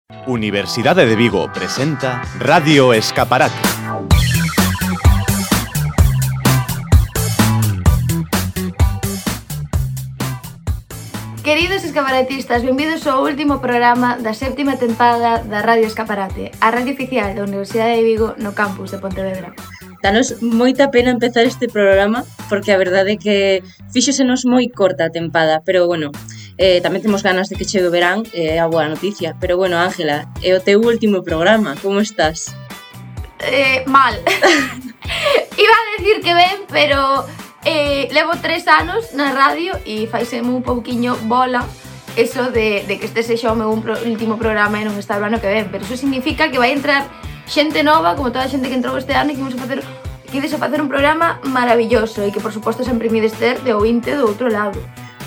Universidade de Vigo presenta Radio Escaparate. Queridos escaparatistas, benvidos ao último programa da séptima tempada da Radio Escaparate, a radio oficial da Universidade de Vigo no campus de Pontevedra. Danos moita pena empezar este programa porque a verdade é que fíxosenos moi corta a tempada, pero bueno, tamén temos ganas de que chegue o verán, é a boa noticia. Pero bueno, Ángela, é o teu último programa, como estás? Mal. Iba a decir que ben, pero levo 3 anos na radio e faiseme un pouquiño bola eso de que este sexa o meu último programa e non estar o ano que ven, pero eso significa que vai entrar xente nova, como toda a xente que entrou este ano, e que ides a facer un programa maravilloso e que, por suposto, sempre me ides ter de ointe do outro lado.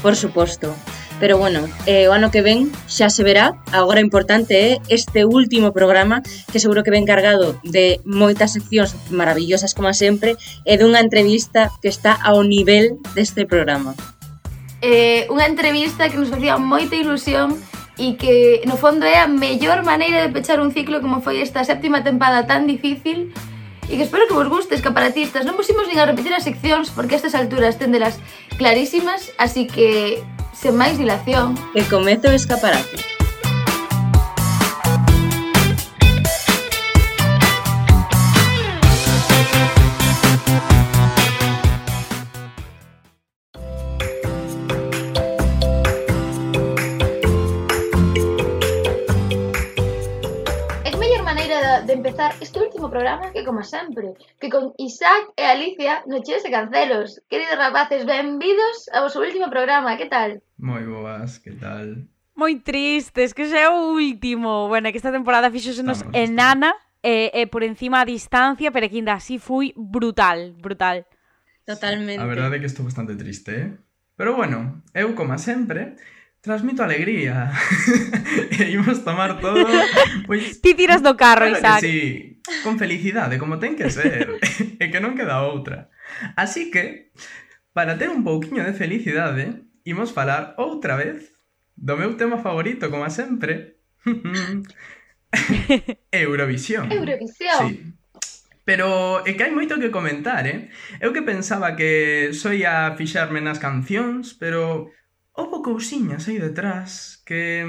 Por suposto. Pero bueno, o ano que ven xa se verá. Agora importante é este último programa, que seguro que ven cargado de moitas seccións maravillosas como sempre e dunha entrevista que está ao nivel deste programa. Unha entrevista que nos facía moita ilusión e que, no fondo, é a mellor maneira de pechar un ciclo como foi esta séptima tempada tan difícil e que espero que vos guste, escaparatistas. Non pusimos nin a repetir as seccións porque a estas alturas tendelas clarísimas, así que, sen máis dilación, que comece o escaparate. de empezar este último programa que, como sempre, que con Isaac e Alicia no Cheos e Cancelos. Queridos rapaces, benvidos ao vosso último programa, que tal? Moi boas, que tal? Moi tristes, que xa é o último. Bueno, que esta temporada fixosenos enana e por encima a distancia, pero que ainda así foi brutal. Totalmente. A verdade é que estou bastante triste, Pero bueno, eu, como sempre, transmito alegría. E imos tomar todo, pois... Ti tiras do carro, claro, Isaac. Sí, con felicidade, como ten que ser. E que non queda outra. Así que, para ter un pouquiño de felicidade, imos falar outra vez do meu tema favorito, como sempre. Eurovisión. Eurovisión. Sí. Pero é que hai moito que comentar, Eu que pensaba que só ia fixarme nas cancións, pero... houbo cousiñas aí detrás que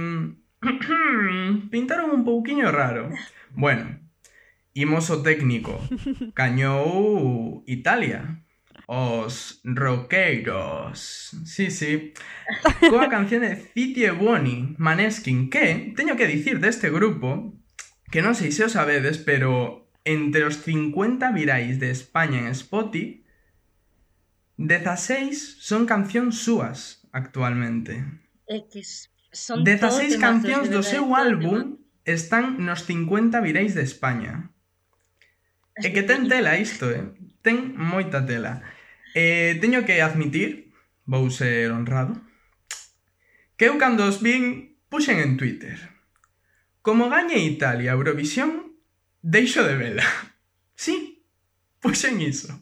pintaron un pouquiño raro. Bueno, imos ao técnico. Gañou Italia. Os roqueiros. Sí. Coa canción de Ziti e Buoni, Maneskin, que, teño que dicir deste grupo, que non sei se o sabedes, pero entre os 50 virais de España en Spotify, 16 son cancións súas. Actualmente. É que son 16 cancións do seu álbum están nos 50 virais de España. É que ten tela isto, Ten moita tela. Teño que admitir, vou ser honrado, que eu cando os vin puxen en Twitter: como gañe Italia Eurovisión, deixo de vela. Sí, puxen iso.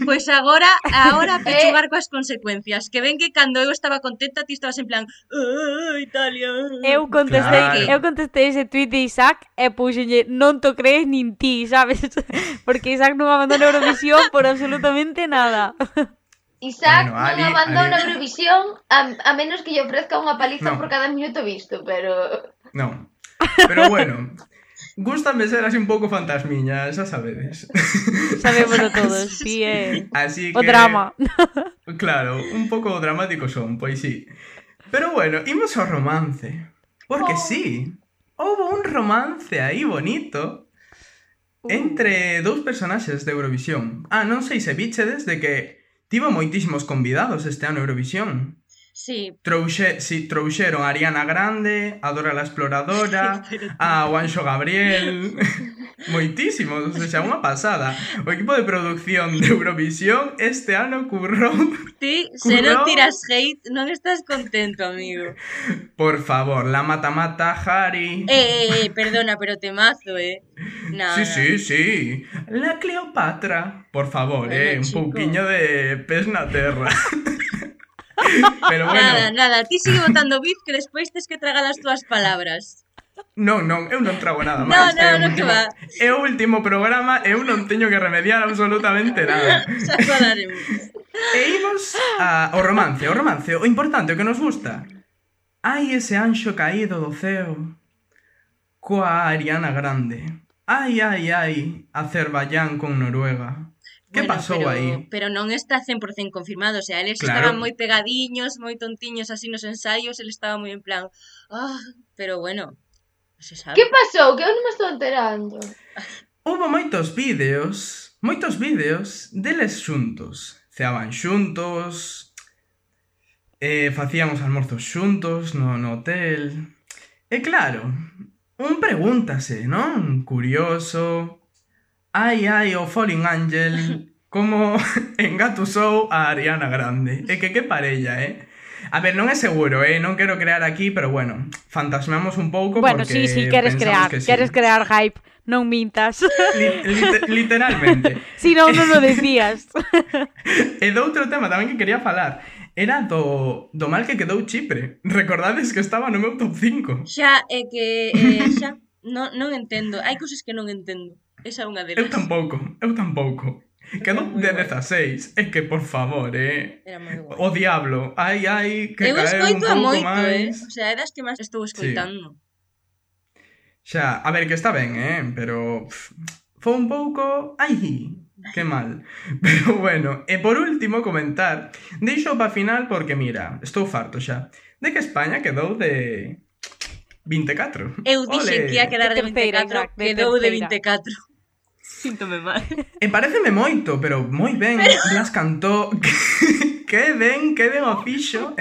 Pois agora pechugar coas consecuencias. Que ven que cando eu estaba contenta, ti estabas en plan Italia. Eu contestei ese tweet de Isaac e puxenlle non to crees nin ti, sabes? Porque Isaac non abandona Eurovisión por absolutamente nada. Isaac non abandona Eurovisión a menos que lle ofrezca unha paliza por cada minuto visto, pero... Non, pero bueno... Gústame ser así un pouco fantasmiña, xa sabedes. Sabémoslo todos, sí, así que... O drama. Claro, un pouco dramático son, pois sí. Pero bueno, imos ao romance. Porque sí, houve un romance aí bonito entre dous personaxes de Eurovisión. Non sei se bichedes de que tivo moitísimos convidados este ano Eurovisión. Sí. Trouxeron a Ariana Grande, a Dora la Exploradora, a Juanxo Gabriel... Moitísimos, o sea, unha pasada. O equipo de producción de Eurovisión este ano currou... Ti, se non tiras hate, non estás contento, amigo. Por favor, la mata-mata, Harry... Perdona, pero temazo, Nada. Sí. La Cleopatra. Por favor, bueno, un pouquiño de pés na terra. Pero bueno. Nada, ti sigue botando beef que despois tes que tragar as túas palabras. Non, eu non trago nada máis. Non, que va. É o último programa, eu non teño que remediar absolutamente nada. Xa falaremos. E imos ao romance, o importante, o que nos gusta. Ai, ese anxo caído do ceo coa Ariana Grande. Ai, Azerbaiyán con Noruega. Que pasou aí? Pero non está 100% confirmado, o sea, eles estaban moi pegadiños, moi tontiños así nos ensaios, ele estaba moi en plan, pero bueno, se sabe. Que pasou? Que eu non me estou enterando. Hubo moitos vídeos deles xuntos. Ceaban xuntos, facían os almorzos xuntos no hotel. E claro, un pregúntase, non? Curioso. Ai, o Falling Angel, como engatusou a Ariana Grande. E que parella, A ver, non é seguro, non quero crear aquí, pero bueno, fantasmeamos un pouco bueno, porque sí, queres crear, queres crear hype, non mintas. Literalmente. Si non o decías. E do outro tema tamén que quería falar era do mal que quedou Chipre. Recordades que estaba no meu top 5. Xa, é que xa non entendo, hai cousas que non entendo. Esa é unha delas. Eu tampouco. Quedou de 16. É que, por favor, Era moi guai. O diablo. Ai, que eu caeu un pouco moito, máis. O sea, é das que máis estou escoitando. Sí. Xa, a ver, que está ben, pero foi un pouco... Ai, que mal. Pero bueno, e por último comentar, deixo para final porque, mira, estou farto xa, de que España quedou de 24. Eu dixen que ia quedar de 24, quedou de 24. Síntome mal. E pareceme moito, pero moi ben. Blas cantou... Que ben o fixo,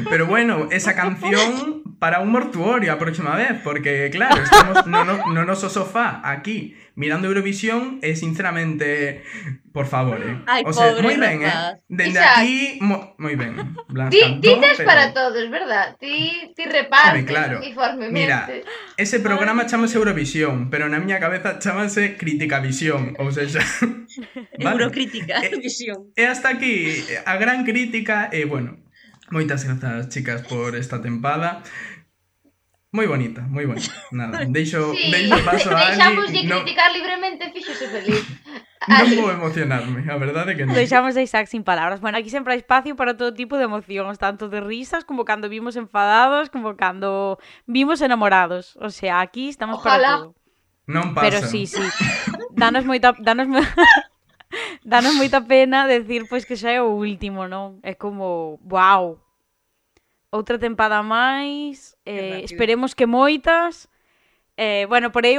Pero bueno, esa canción para un mortuorio a próxima vez, porque claro, estamos no noso sofá aquí mirando Eurovisión e sinceramente, por favor, Ai, o sea, pobre moi ben, rapaz. Dende Isaac, aquí, moi ben. Blas Ti cantó, tes pero... para todos, verdad? Ti repartes claro. uniformemente. Mira, ese programa chamase Eurovisión, pero na miña cabeza chamase Criticavisión, ou seja, Eurocrítica, visión. E hasta aquí a gran crítica e, bueno, moitas grazas, chicas, por esta tempada. Moi bonita. Nada, deixo paso a Ali. Deixamos de criticar libremente, fíxose feliz. Non vou emocionarme, a verdade que non. Deixamos a Isaac sin palabras. Bueno, aquí sempre hai espacio para todo tipo de emocións, tanto de risas como cando vimos enfadados, como cando vimos enamorados. O sea, aquí estamos para todo. Non pasa. Pero sí. Danos moita pena decir pois que xa é o último, non? É como, wow. Outra tempada máis, esperemos que moitas. Bueno, porei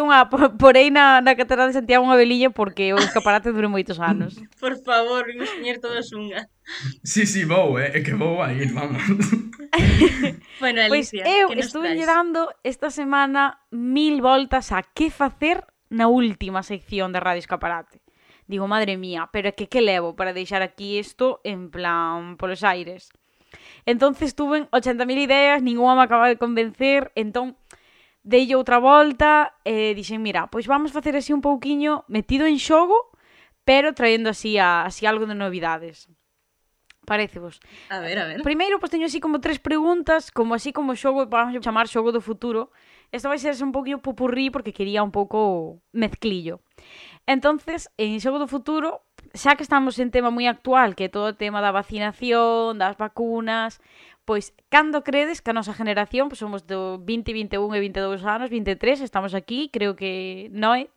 na Catedral de Santiago unha veliña porque o escaparate dure moitos anos. Por favor, vimos poñer todos unha. Sí, vou, é que vou a ir, vamos. Bueno, Alicia, pois eu estuve dando esta semana 1000 voltas a que facer na última sección de Radio Escaparate. Digo, madre mía, pero é que levo para deixar aquí isto en plan polos aires? Entonces tuve 80.000 ideas, ninguna me acaba de convencer, entón deille outra volta e dixen, mira, pois vamos facer así un pouquiño metido en xogo, pero traendo así algo de novidades. Parécevos? A ver. Primeiro, pois teño así como 3 preguntas, como xogo, vamos a chamar xogo do futuro. Isto vai ser un pouquinho popurrí porque quería un pouco mezclillo. Entonces, en xogo do futuro, xa que estamos en tema moi actual, que é todo o tema da vacinación, das vacunas, pois, cando credes que a nosa generación, pois somos do 20, 21 e 22 anos, 23, estamos aquí, creo que Noé,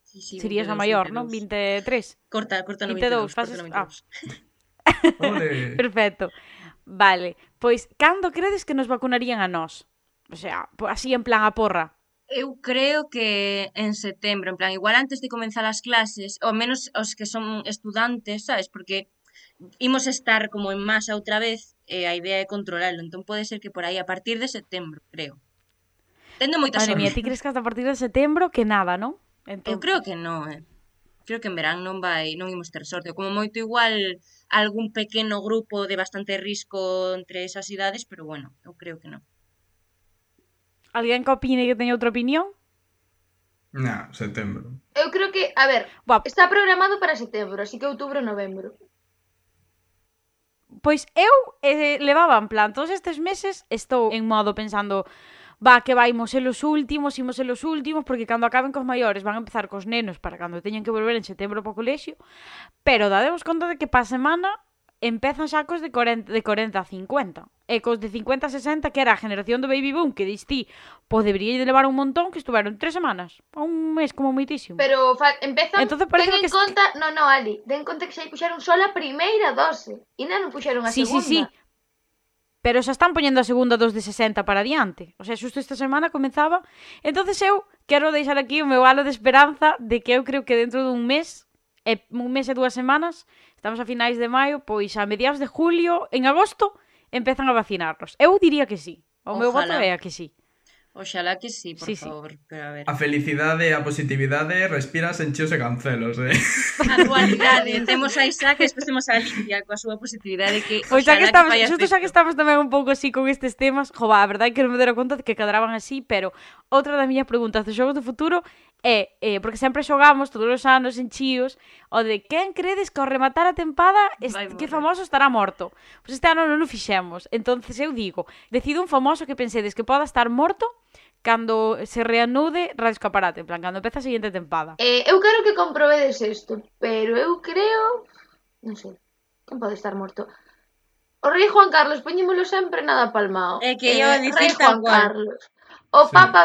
sí, serías a maior, non? 23. Corta no 22, 22. faces... Ole. Perfecto. Vale, pois, cando credes que nos vacunarían a nós? O sea, así en plan a porra. Eu creo que en setembro, en plan, igual antes de comenzar as clases, ou menos os que son estudantes, sabes? Porque imos estar como en masa outra vez e a idea é controlarlo, entón pode ser que por aí a partir de setembro, creo. Tendo moita sorte. Madre mía, ti crees que hasta a partir de setembro que nada, non? Eu creo que non, Creo que en verán non imos ter sorte. Como moito igual algún pequeno grupo de bastante risco entre esas idades, pero bueno, eu creo que non. Alguén que opine que teña outra opinión? No, setembro. Eu creo que, a ver, está programado para setembro, así que outubro, novembro. Pois eu levaba en plan, todos estes meses estou en modo pensando, que vaimos ser os últimos, porque cando acaben cos maiores van a empezar cos nenos para cando teñen que volver en setembro para o colexio, pero dademos conta de que pa semana empezan xa cos de 40 a 50. E cos de 50 a 60, que era a generación do baby boom, que distí, pois debería de levar un montón, que estuveron 3 semanas, un mes como moitísimo. Pero empezan, Entonces, ten en que conta, no, Ali, ten en conta que xa puxeron só a primeira dose, e non puxeron a segunda. Sí. Pero xa están poñendo a segunda dos de 60 para adiante. O sea, xusto esta semana comenzaba. Entonces eu quero deixar aquí o meu halo de esperanza de que eu creo que dentro dun mes e 2 semanas, estamos a finais de maio, pois a mediados de julio, en agosto, empezan a vacinarnos. Eu diría que sí. O meu voto é a que sí. Oxalá que sí, por favor. Pero a ver. A felicidade e a positividade respiras en chios e cancelos, A dualidade. Temos a Isaac e despois temos a Alicia coa súa positividade que pois xa que estamos, xusto xa que estamos tamén un pouco así con estes temas, a verdade é que non me dera conta de que cadraban así, pero outra das miñas preguntas dos xogos do futuro é, porque sempre xogamos todos os anos en chíos, o de quen credes que ao rematar a tempada que famoso estará morto? Pois este ano non o fixemos. Entonces eu digo, decido un famoso que pensedes que poda estar morto cando se reanude Radio Escaparate, en plan, cando empeza a seguinte tempada. Eu quero que comprobedes isto, pero eu creo... Non sei, quen pode estar morto? O rei Juan Carlos, poñémolo sempre nada palmao. É que eu dicir rei tal Juan cual. Carlos. O Papa...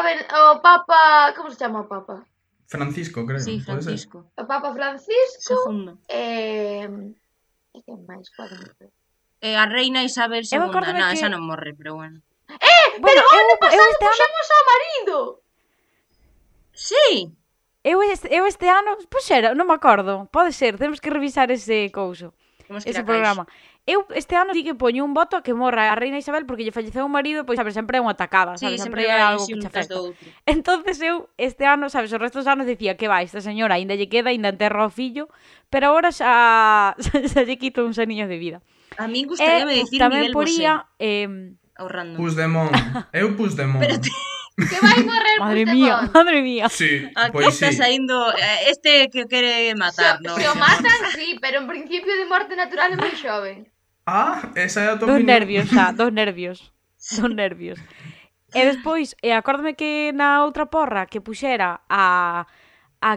Como se chama o Papa? Francisco, creo. Sí, Francisco. O Papa Francisco. Segundo. E quen máis pode morrer? A reina Isabel II. Non, esa non morre, pero bueno. Pero o ano pasado este ano... puxamos ao marido. Sí. Eu este ano, pois era, non me acordo. Pode ser, temos que revisar ese couso. Ese programa. Eu este ano sí que poño un voto a que morra a reina Isabel porque lle falleceu un marido, pois sabes, sempre é unha atacada, sabes, sempre é algo que che afecta. Entonces eu este ano, sabes, os restos dos anos dicía que vai, esta señora aínda lle queda, aínda enterra o fillo, pero agora xa lle quito uns aniños de vida. A min gustaríame dicir Miguel Bosé. Ahorrando. Puigdemont. Eu Puigdemont. Que vai morrer Madre mía. Sí, aquí pois está sí. saindo este que quere matar, non? Se o matan, sí, pero en principio de morte natural é moi xoven. Esa é a tua Dos opinión. nervios. E despois, acórdame que na outra porra que puxera a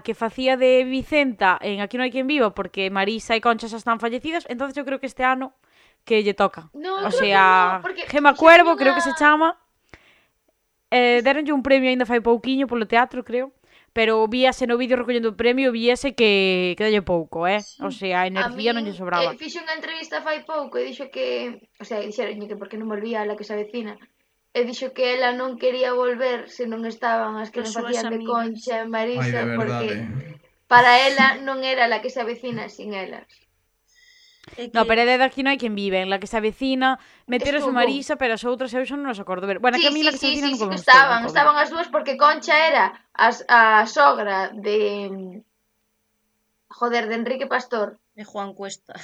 que facía de Vicenta en Aquí non hai quen viva, porque Marisa e Concha xa están fallecidas, entonces eu creo que este ano que lle toca. No, o sea, Gema Cuervo, creo que se chama. Deronlle un premio aínda fai pouquiño polo teatro, creo. Pero víase no vídeo recollendo o premio, víase que dalle pouco, O sea, a energía non lle sobraba. Fixo unha entrevista fai pouco e dixo que... O sea, dixeronlle que porque non volvía a la que se avecina. E dixo que ela non quería volver se non estaban as que non facían de Concha e Marisa, porque para ela non era la que se avecina sin elas. No, pero é de Aquí non hai quen vive, en la que se avecina, meteros a Marisa, pero as outras eu xa non os acordo ver. Bueno, que a mí la que se avecina non podemos ter. Estaban as dúas porque Concha era a sogra de... Joder, de Enrique Pastor. De Juan Cuesta.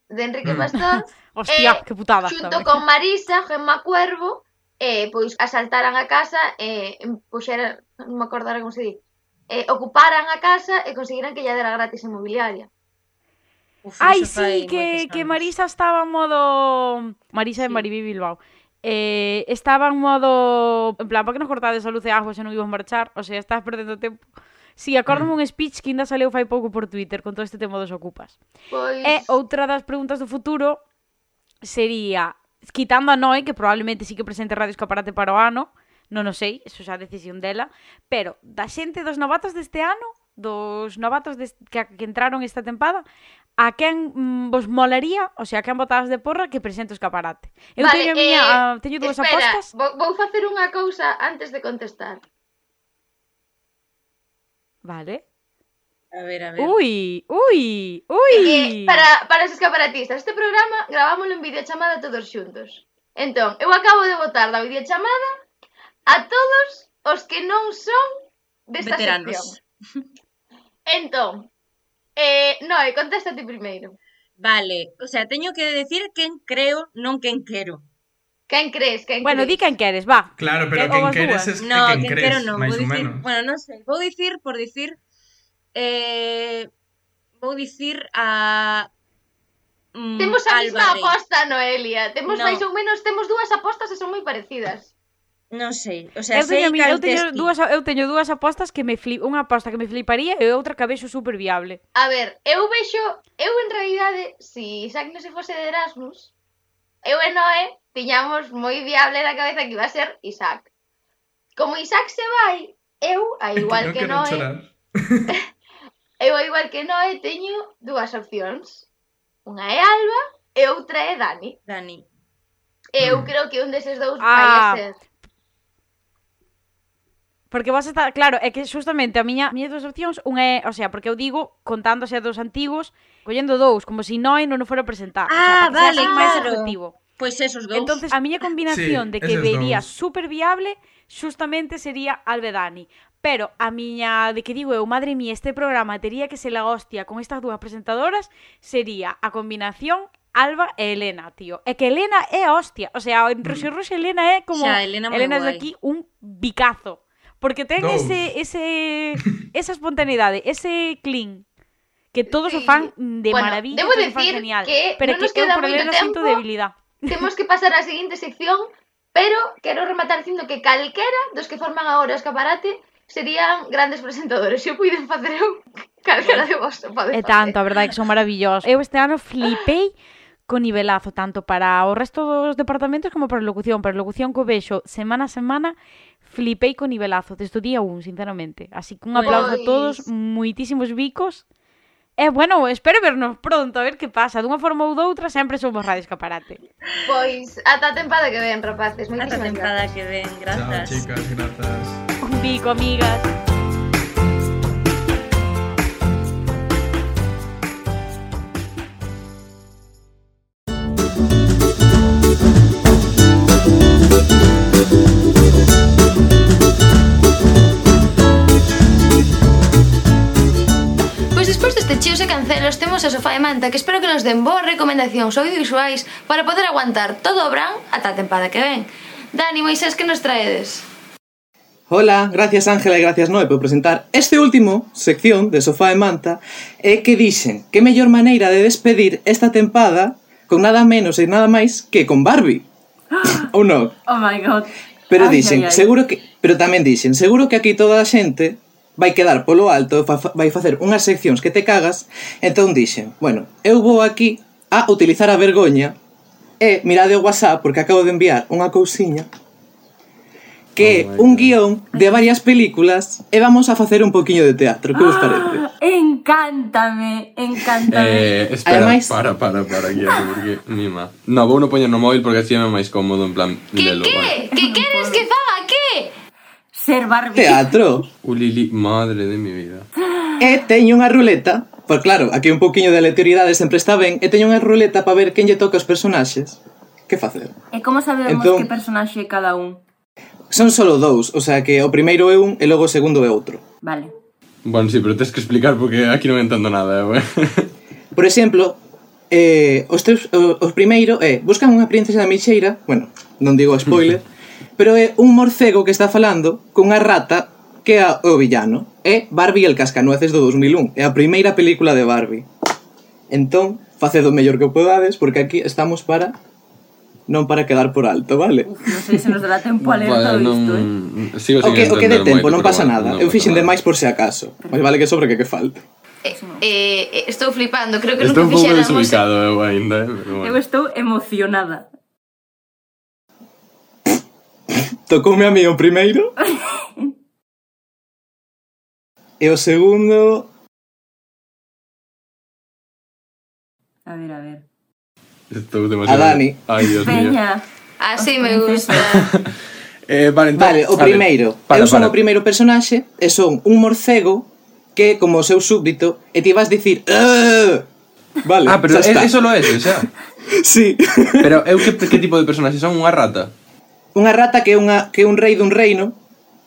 De Enrique Pastor. Hostia, que putada. Xunto con Marisa, Gemma Cuervo, pois asaltaran a casa e puxeran, non me acordara como se di, ocuparan a casa e conseguiran que lla dera gratis a inmobiliaria. Ai, sí, que Marisa estaba en modo... Marisa de Maribí Bilbao. Estaba en modo... En plan, para que nos cortades a luz e agua se non íbamos marchar? O sea, estás perdendo tempo. Sí, acórdame un speech que ainda saleu fai pouco por Twitter con todo este tema dos ocupas. Pois... E outra das preguntas do futuro sería, quitando a Noé, que probablemente sí que presente Radio Escaparate para o ano, non o sei, eso xa é a decisión dela, pero da xente dos novatos deste ano, dos novatos que entraron esta tempada, a quen vos molaría, o sea, a quen botadas de porra que presente o Escaparate. Eu teño dúas apostas. Vou facer unha cousa antes de contestar. Vale. A ver. Ui. Para os escaparatistas, este programa gravámoslo en videochamada todos xuntos. Entón, eu acabo de botar da videochamada a todos os que non son desta sección. Entón, Noé, contéstate primeiro. Vale, o sea, teño que decir quen creo, non quen quero. Quen crees? Bueno, di quen queres, va. Claro, pero quen queres es que quen crees, máis ou menos. Bueno, non sei, vou dicir vou dicir a temos a mesma aposta, Noelia. Temos máis ou menos, temos dúas apostas e son moi parecidas. Non sei, o sea, Eu teño, sei cal tes ti. eu teño dúas apostas que unha aposta que me fliparía e outra que a vexo super viable. A ver, eu en realidade, si Isaac non se fose de Erasmus, eu e Noé tiñamos moi viable na cabeza que iba a ser Isaac. Como Isaac se vai, eu, a igual que non Noé, chorar. eu a igual que Noé teño dúas opcións. Unha é Alba e outra é Dani. Dani. E eu creo que un deses dous vai Ah. a ser. Porque vos está, claro, é que justamente a miña dúas opcións, unha é, o sea, porque eu digo, contándose a dos antigos, collendo dous, como se Noé non o fora a presentar. Ah, o sea, para que sea vale, así máis claro. objetivo. Pois esos dous. Entonces, a miña combinación Sí, de que eses vería dous. super viable, justamente sería Alba e Dani. Pero a miña, de que digo eu, madre mía, este programa tería que ser la hostia con estas dúas presentadoras, sería a combinación Alba e Elena, tío. É que Elena é a hostia. O sea, en Ruxe Elena é como... Xa, Elena moi Elena é de guai. aquí un bicazo. Porque ten Dous. esa espontaneidade, ese clean, que todos o Sí. fan de Bueno, maravilla, debo todos o fan decir genial. que Pero non que nos eu queda por moito Elena sinto tempo. debilidade. Temos que pasar á seguinte sección, pero quero rematar dicindo que calquera dos que forman agora o escaparate serían grandes presentadores. Se o puiden facer eu, calquera de vos o pode É facer. tanto, a verdade, que son maravillosos. Eu este ano flipei con nivelazo, tanto para o resto dos departamentos como para a locución. Para a locución que o vexo semana a semana, flipei con nivelazo, desde o día 1, sinceramente. Así que un aplauso a todos, moitísimos bicos. E, bueno, espero vernos pronto, a ver que pasa. Dunha forma ou doutra, sempre somos Radio Escaparate. Pois, ata a tempada que ven, rapaces. Ata a Moitísimas tempada grazas. que ven, Chao, grazas. chicas, grazas. Un bico, amigas. Pois despois deste chíos e cancelos temos a Sofá de Manta, que espero que nos den boas recomendacións audiovisuais para poder aguantar todo o verán ata a tempada que ven. Dani, Moisés, que nos traedes? Hola, gracias Ángela e gracias Noé por presentar este último sección de Sofá e Manta e que dixen que mellor maneira de despedir esta tempada con nada menos e nada máis que con Barbie. Ou non? Oh my god. Pero Ai, dixen, ai, ai. seguro que, pero tamén dixen, seguro que aquí toda a xente vai quedar polo alto, vai facer unhas seccións que te cagas, entón dixen, bueno, eu vou aquí a utilizar a vergoña e mirade o WhatsApp porque acabo de enviar unha cousiña que é un guión de varias películas e vamos a facer un poquinho de teatro, que vos parece? Encántame, encántame. Espera, Ademais- para, Guillermo, porque mima. No, vou non poñer no móvil porque así é máis cómodo, en plan, Que lelo, vale. que? Que queres que faga? Que? Ser Barbie. Teatro! Ulili, madre de mi vida. E teño unha ruleta, pois claro, aquí un poquinho de aleatoriedade sempre está ben, e teño unha ruleta para ver quen lle toca os personaxes. Que facer? E como sabemos Entón- que personaxe é cada un? Son solo dous, o sea que o primeiro é un e logo o segundo é outro. Vale. Bueno, sí, pero tens que explicar porque aquí non entendo nada, güey. Por exemplo, os primeiro é buscan unha princesa da Meixeira, bueno, non digo spoiler, pero é un morcego que está falando cunha rata que é o villano. É Barbie e el Cascanueces do 2001, é a primeira película de Barbie. Entón, facedo o mellor que podades porque aquí estamos para non para quedar por alto, vale? Uf, non sei se nos dará tempo a ler todo isto, Sigo O sin que de entender tempo, moito, non pero pasa bueno, nada. non Eu pasa fixen nada. demais por se acaso. Mas vale que sobre que falta. Estou flipando, creo que Estou un nunca pouco fixéramos... desubicado, ainda, pero Eu bueno. estou emocionada. Tocoume a mí o primeiro. E o segundo... A ver. Estou demasiado... A Dani. Ai, Dios mío. Peña. Así me gusta. Vale, entón, Vale, o primeiro. para, Eu son para. o primeiro personaxe e son un morcego que é como o seu súbdito e ti vas dicir "Ugh". Vale, Ah, pero xa está. eso lo é, xa. Sí. Pero eu que tipo de personaxe son? Unha rata? Unha rata que é un rei dun reino.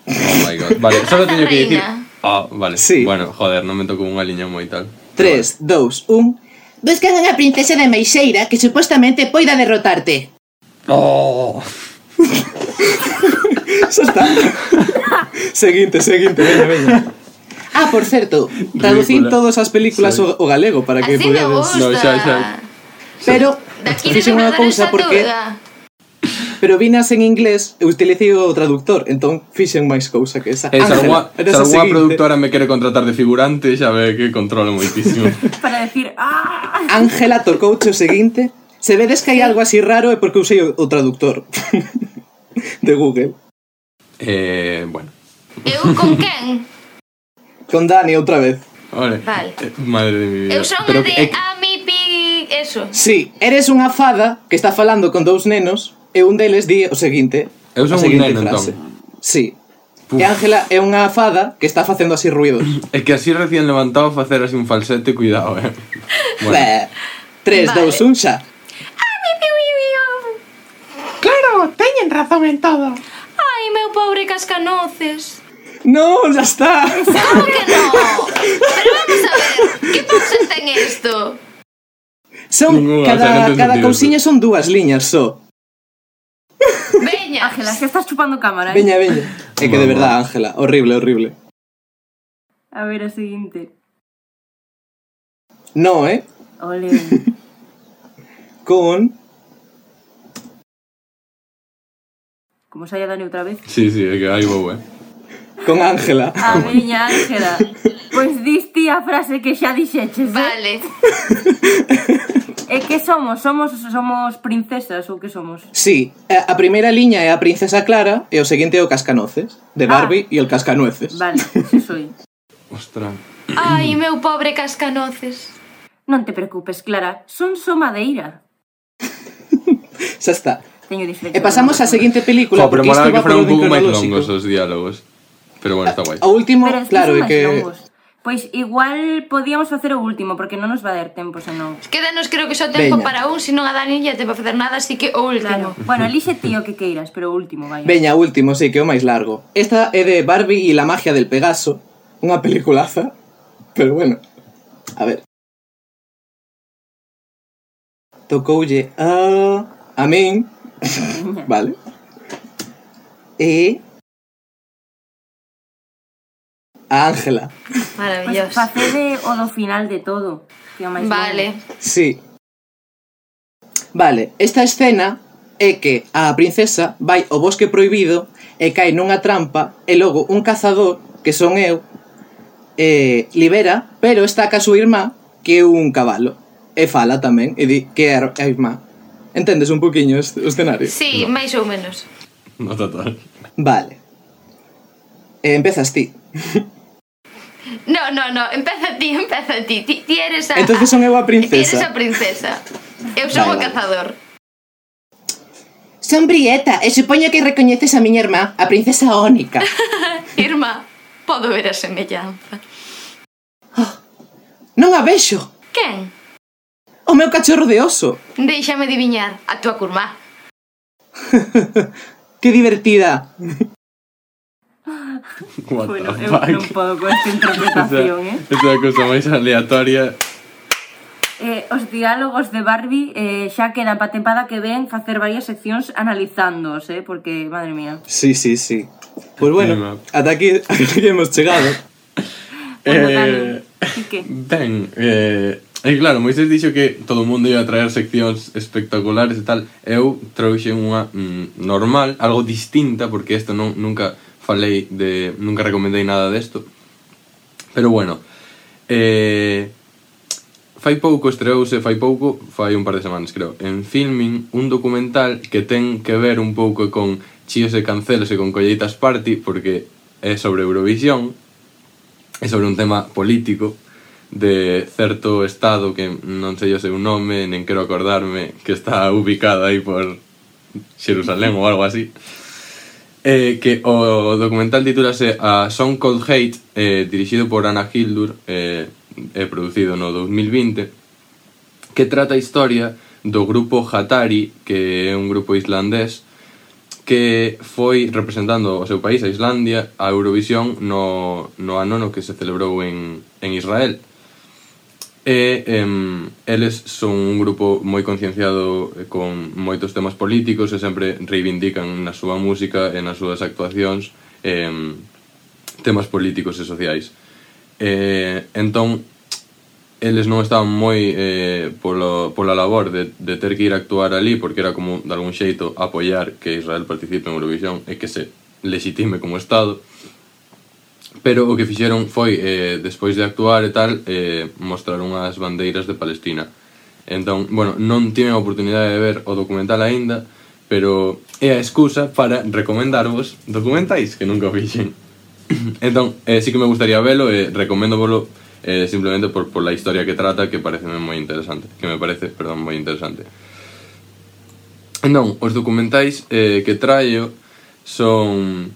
Oh my god. Vale, solo teño que dicir... Reina. Ah, vale. Sí. Bueno, joder, non me tocou unha liña moi tal. 3, 2, 1. Buscan unha princesa de Meixeira que supostamente poida derrotarte. Oh. Xa está. Seguinte, veña. Ah, por certo, traducín Ridícula. todas as películas Sí. o galego para que Así me podades... gusta. No, xa. Pero Daqui fixen unha cousa porque... Pero vinas en inglés e utilicei o traductor, entón fixen máis cousa que esa. Se Ángela, eres a algunha seguinte. productora me quere contratar de figurante, xa ve que controlo moitísimo. Para decir, ¡ah! Ángela tocou o seguinte. Se vedes que hai algo así raro é porque usei o traductor de Google. Bueno. Eu con quen? Con Dani outra vez. Vale. Madre de mi vida. Eu son Pero de é- Amipi... Eso. Sí, eres unha fada que está falando con dous nenos e un deles di o seguinte. Eu son a un seguinte neno, frase. entón. Sí. Puf. E Ángela é unha fada que está facendo así ruidos. É que así recién levantado facer así un falsete, cuidado, Bueno. 3, Vale. 2, 1, xa. Claro, teñen razón en todo. Ai, meu pobre cascanoces. No, ya está. ¿Cómo que no? Pero vamos a ver, ¿qué pausa ten esto? Son Ninguna, o sea, cada, non ten cada sentido cousiña son dúas liñas só. Veña. Ángela, que estás chupando cámara, Veña, veña. É que de verdad, Ángela, horrible, horrible. A ver, a seguinte. No, Ole. Con... Como saia Dani outra vez. Sí, é que aí vou, Con Ángela. A veña, Ángela. Pois diste a frase que xa dixeches, Vale. E que somos? Somos princesas ou que somos? Sí, a primeira liña é a princesa Clara e o seguinte é o cascanoces, de Barbie e el cascanueces. Vale, si soy. Ostras. Ai, meu pobre cascanoces. Non te preocupes, Clara. Son só madeira. Xa está. Teño dislexia. E pasamos á seguinte película, Pero porque isto molaba que va por fueran un orden pouco máis cronolóxico. longos os diálogos. Pero bueno, está guai. O último, Pero es que claro, son é máis que... longos. Pois igual podíamos facer o último, porque non nos va a dar tempo, senón. Quédanos creo que só tempo Veña. para un, se non a Dani lle tempo a facer nada, así que o último. Claro. Bueno, elixe ti o que queiras, pero o último, vaya. Veña, último, sí, que é o máis largo. Esta é de Barbie e la magia del Pegaso. Unha peliculaza. Pero bueno, a ver. Tocoulle a min. Vale. E... a Ángela. Pois Maravilloso. facede o do final de todo, que é o máis Vale. Sí. Vale, esta escena é que a princesa vai ao bosque prohibido e cae nunha trampa e logo un cazador, que son eu, libera, pero está ca súa irmá, que é un cabalo. E fala tamén, e di que é a irmá. Entendes un poquinho o escenario? Sí, máis ou menos. No total. Vale. Empezas ti. No, empeza ti. Ti eres a... Entonces son eu a Ti eres princesa. a princesa. Eu son o Vale. cazador. Son Brieta, e supoño que recoñeces a miña irmá, a princesa Ónica. Irmá, podo ver a semellanza. Non a vexo. Quen? O meu cachorro de oso. Déixame adiviñar, a túa curmá. Que divertida. What Bueno, the eu fuck? non podo con esta interpretación, Esa é a cousa máis aleatoria. Os diálogos de Barbie xa quedan pa tempada que ven facer varias seccións analizándoos, porque, madre mía. Sí. Pues bueno, Mima. ata aquí hemos chegado. Bueno, Dani, ti que? Ben, claro, Moisés dixo que todo o mundo ia traer seccións espectaculares e tal. Eu trouxe unha normal, algo distinta, porque isto nunca falei de... Nunca recomendei nada desto. Pero bueno, fai un par de semanas, creo, en Filmin, un documental que ten que ver un pouco con chíos e cancelos e con colleitas party, porque é sobre Eurovisión, é sobre un tema político de certo estado que non sei o seu nome, nen quero acordarme, que está ubicado aí por Xerusalén ou algo así. Que o documental titúlase A Song Called Hate, dirixido por Anna Hildur, producido no 2020, que trata a historia do grupo Hatari, que é un grupo islandés que foi representando o seu país, a Islandia, a Eurovisión no ano no que se celebrou en Israel. Eles son un grupo moi concienciado con moitos temas políticos e sempre reivindican na súa música e nas súas actuacións temas políticos e sociais. Entón, eles non estaban moi pola labor de ter que ir a actuar ali, porque era como, de algún xeito, apoiar que Israel participe en Eurovisión e que se legitime como Estado. Pero o que fixeron foi, despois de actuar e tal, mostrar unhas bandeiras de Palestina. Entón, bueno, non tive a oportunidade de ver o documental aínda, pero é a excusa para recomendarvos documentais que nunca o fixen. Entón, sí que me gustaría velo e recoméndovolo simplemente por la historia que trata, que parece moi interesante, moi interesante. Entón, os documentais que traio son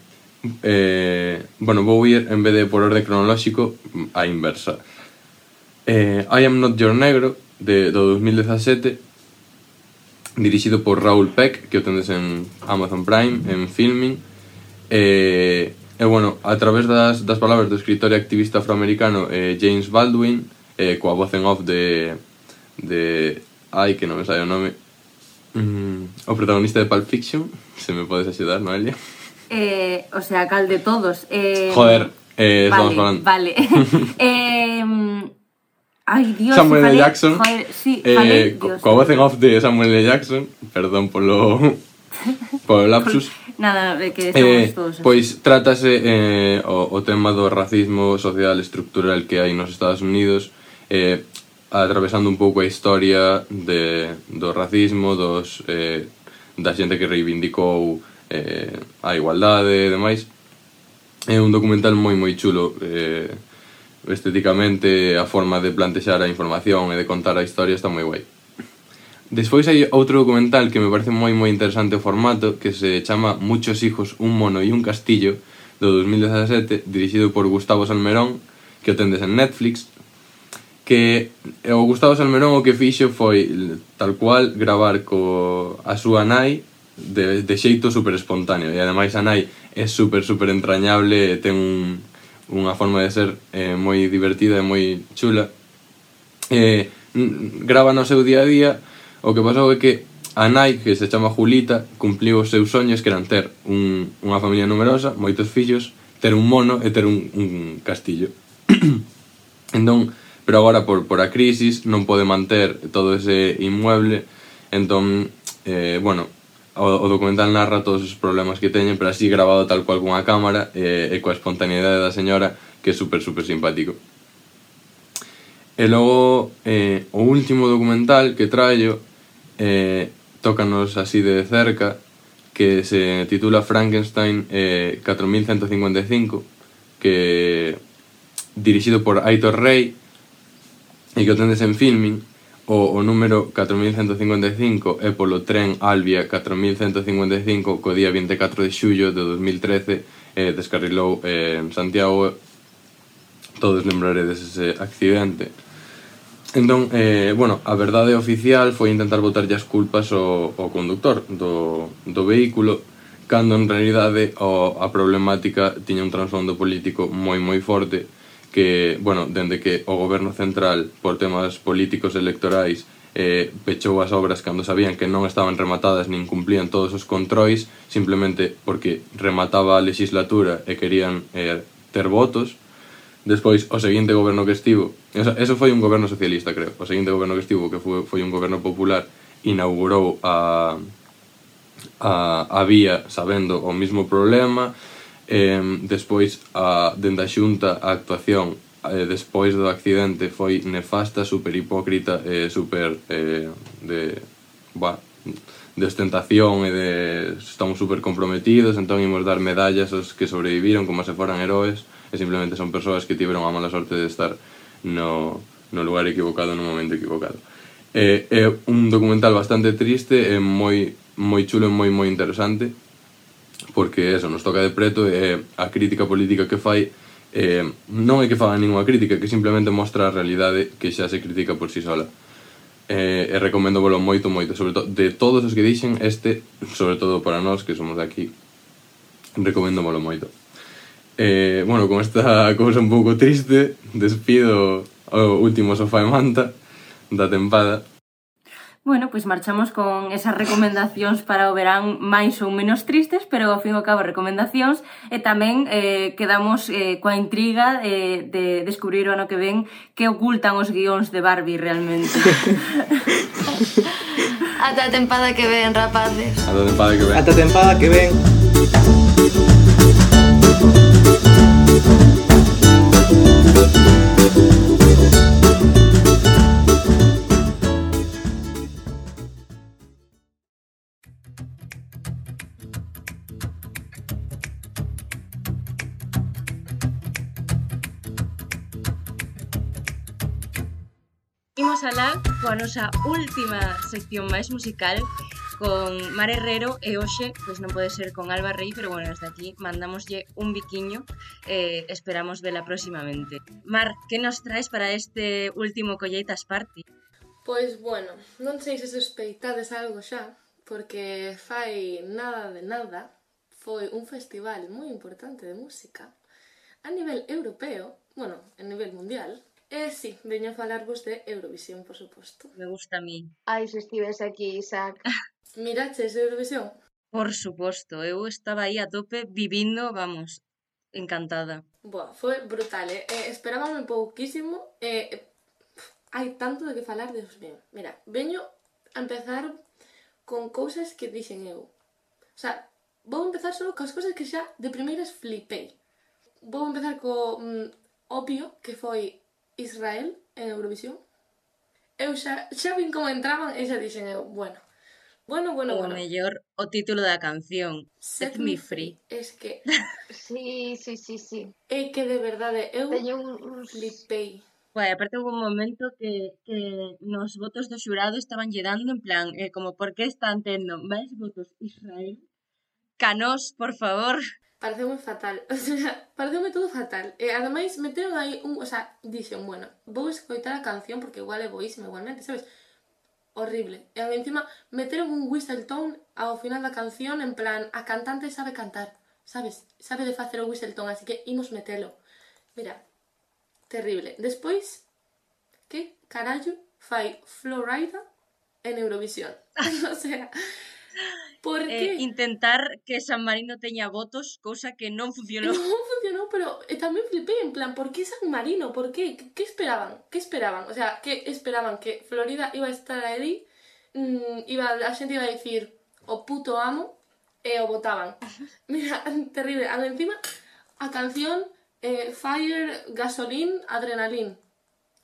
bueno, vou ir en vez de por orde cronolóxico a inversa. I Am Not Your Negro do 2017, dirixido por Raoul Peck, que o tendes en Amazon Prime, en Filming. E bueno, a través das palabras do escritor e activista afroamericano James Baldwin, coa voz en off de ai, que non me sai o nome, o protagonista de Pulp Fiction, se me podes axudar, Noelia? O sea, cal de todos. Joder, estamos falando. Vale. Ai, Dios, Samuel L. Jackson. Joder, sí, falei, Dios. Coa voz en off de Samuel L. Jackson, perdón polo lapsus. Nada, que estamos todos. Pois trátase o tema do racismo social estructural que hai nos Estados Unidos, atravesando un pouco a historia do racismo, da xente que reivindicou a igualdade e demais. É un documental moi chulo, estéticamente, a forma de plantexar a información e de contar a historia está moi guai. Despois hai outro documental que me parece moi interesante o formato, que se chama Muchos hijos, un mono y un castillo, do 2017, dirixido por Gustavo Salmerón, que o tendes en Netflix, que o Gustavo Salmerón o que fixo foi, tal cual, gravar a súa nai de xeito super espontáneo, e ademais a nai é super entrañable e ten unha forma de ser moi divertida e moi chula. Grava no seu día a día. O que pasou é que a nai, que se chama Julita, cumpliu os seus soños, que eran ter unha familia numerosa, moitos fillos, ter un mono e ter un castillo. Entón, pero agora por a crisis non pode manter todo ese inmueble. Entón, bueno, o documental narra todos os problemas que teñen, pero así grabado tal cual cunha cámara e coa espontaneidade da señora, que é super simpático. E logo, o último documental que traio tócanos así de cerca, que se titula Frankenstein 4155, que dirixido por Aitor Rey e que o tendes en Filming. O número 4155 é polo tren Albia 4155, co día 24 de xullo de 2013 descarrilou en Santiago. Todos lembraredes ese accidente. Entón, bueno, a verdade oficial foi intentar botarlle as culpas ao conductor do vehículo, cando en realidade a problemática tiña un trasfondo político moi forte, que, bueno, dende que o goberno central, por temas políticos electorais, pechou as obras cando sabían que non estaban rematadas nin cumplían todos os controis, simplemente porque remataba a legislatura e querían ter votos. Despois, o seguinte goberno que estivo, eso foi un goberno socialista, creo, o seguinte goberno que estivo, que foi un goberno popular, inaugurou a vía sabendo o mismo problema. Despois, dende a Xunta, a actuación despois do accidente foi nefasta, super hipócrita, super de ostentación e de estamos super comprometidos, entón imos dar medallas aos que sobreviviron como se foran heróis, e simplemente son persoas que tiveron a mala sorte de estar no lugar equivocado no momento equivocado. É un documental bastante triste e moi chulo e moi interesante, porque eso nos toca de preto, e a crítica política que fai non é que faga ninguna crítica, que simplemente mostra a realidade que xa se critica por si sola. E recomendo volo moito, sobre todo de todos os que dixen, sobre todo para nós que somos de aquí, recomendo volo moito. Bueno, con esta cousa un pouco triste, despido o último Sofá e Manta da tempada. Bueno, pois marchamos con esas recomendacións para o verán máis ou menos tristes, pero ao fin e ao cabo recomendacións, e tamén quedamos coa intriga de descubrir o ano que ven que ocultan os guións de Barbie realmente. Ata a tempada que ven, rapaces. A da tempada que ven. Ata a tempada que ven. Imos alá coa nosa última sección máis musical con Mar Herrero e hoxe pois non pode ser con Alba Rei, pero bueno, desde aquí mandamoslle un biquiño e esperamos vela próximamente. Mar, que nos traes para este último Colleitas Party? Pois, bueno, non sei se sospeitades algo xa, porque fai nada de nada foi un festival moi importante de música a nivel europeo, bueno, a nivel mundial. E sí, veño a falarvos de Eurovisión, por suposto. Me gusta a mí. Ai, se estives aquí, Isaac. Miraches Eurovisión? Por suposto, eu estaba aí a tope vivindo, vamos, encantada. Boa, foi brutal, esperábame pouquísimo, hai tanto de que falar, Deus mío. Mira, veño a empezar con cousas que dixen eu. O sea, vou empezar só coas cousas que xa de primeiras flipei. Vou empezar co obvio, que foi Israel en Eurovisión. Eu xa vin como entraban e xa dixen eu, bueno. O mellor o título da canción, Set Me Free. Es que Sí. é que de verdade eu Teño uns... flipei. Bueno, aparte hubo un momento que nos votos do xurado estaban lle dando en plan, como por que están tendo máis votos Israel? Canós, por favor. Pareceume fatal, o sea, pareceume todo fatal. E ademais meteron aí o sea, dixen, bueno, vou escoitar a canción porque igual é boísima igualmente, sabes? Horrible. E encima meteron un whistle tone ao final da canción en plan, a cantante sabe cantar, sabes? Sabe de facer o whistle tone, así que imos metelo. Mira, terrible. Despois, que carallo fai Florida en Eurovisión? O sea, por que? Intentar que San Marino teña votos, cousa que non funcionou. Non funcionou, pero tamén flipei en plan, por que San Marino? Por que? Que esperaban? Que esperaban? O sea, que esperaban? Que Florida iba a estar aí, a xente iba a dicir o puto amo e o votaban. Mira, terrible. Encima, a canción Fire, Gasoline, Adrenaline.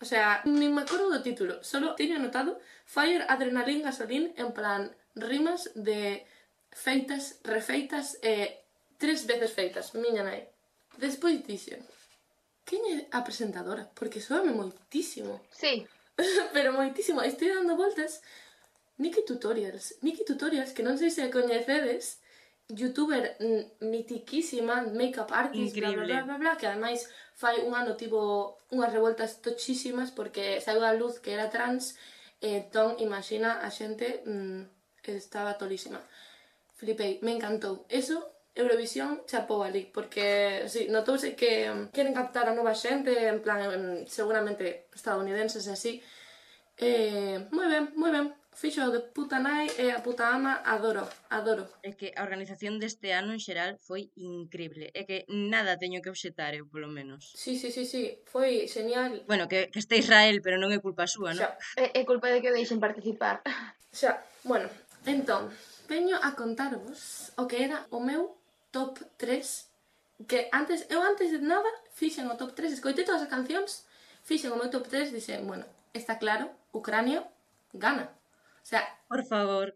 O sea, nin me acordo do título, solo teño anotado Fire, Adrenaline, Gasoline, en plan rimas de feitas, refeitas e 3 veces feitas, miña nai. Despois dixen, quen é a presentadora? Porque soame moitísimo. Sí. Pero moitísimo. Estou dando voltas. Nikki Tutorials, que non sei se coñecedes, youtuber mitiquísima, make-up artist, increíble. bla, bla, bla, bla, que ademais fai un ano tivo unhas revoltas tochísimas porque saiu a luz que era trans, entón imagina a xente que estaba tolísima. Flipei, me encantou. Eso, Eurovisión chapou ali, porque sí, notouse que queren captar a nova xente, en plan, seguramente estadounidenses e así. Moi ben. Fixo de puta nai e a puta ama, adoro. É que a organización deste ano en xeral foi increíble. É que nada teño que obxetar eu, polo menos. Sí, foi genial. Bueno, que este Israel, pero non é culpa súa, non? É culpa de que o deixen participar. Xa, bueno, entón, veño a contarvos o que era o meu top 3, que antes de nada fixen o top 3, escoitei todas as cancións, fixen o meu top 3 e dixen, bueno, está claro, Ucrania gana. O sea, por favor.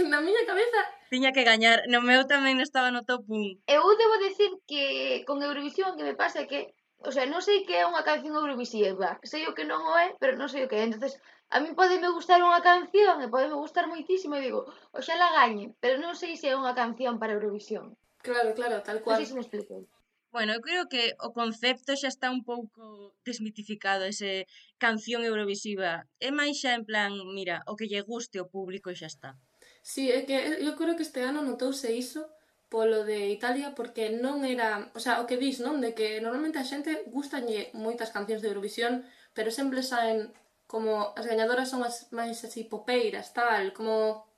Na miña cabeza tiña que gañar, no meu tamén estaba no top 1. Eu debo decir que con Eurovisión que me pasa que, o sea, non sei que é unha canción eurovisiva, sei o que non o é, pero non sei o que é. Entonces, a mí podeme gustar unha canción e podeme gustar moitísimo e digo, oxalá gañe, pero non sei se é unha canción para Eurovisión. Claro, tal cual. Non sei se me explico. Bueno, eu creo que o concepto xa está un pouco desmitificado, ese canción eurovisiva. É máis xa en plan, mira, o que lle guste ao público e xa está. Sí, é que eu creo que este ano notouse iso polo de Italia, porque non era, o sea, o que dis, non? De que normalmente a xente gustalle moitas cancións de Eurovisión, pero sempre saen como as gañadoras son as máis así popeiras, tal, como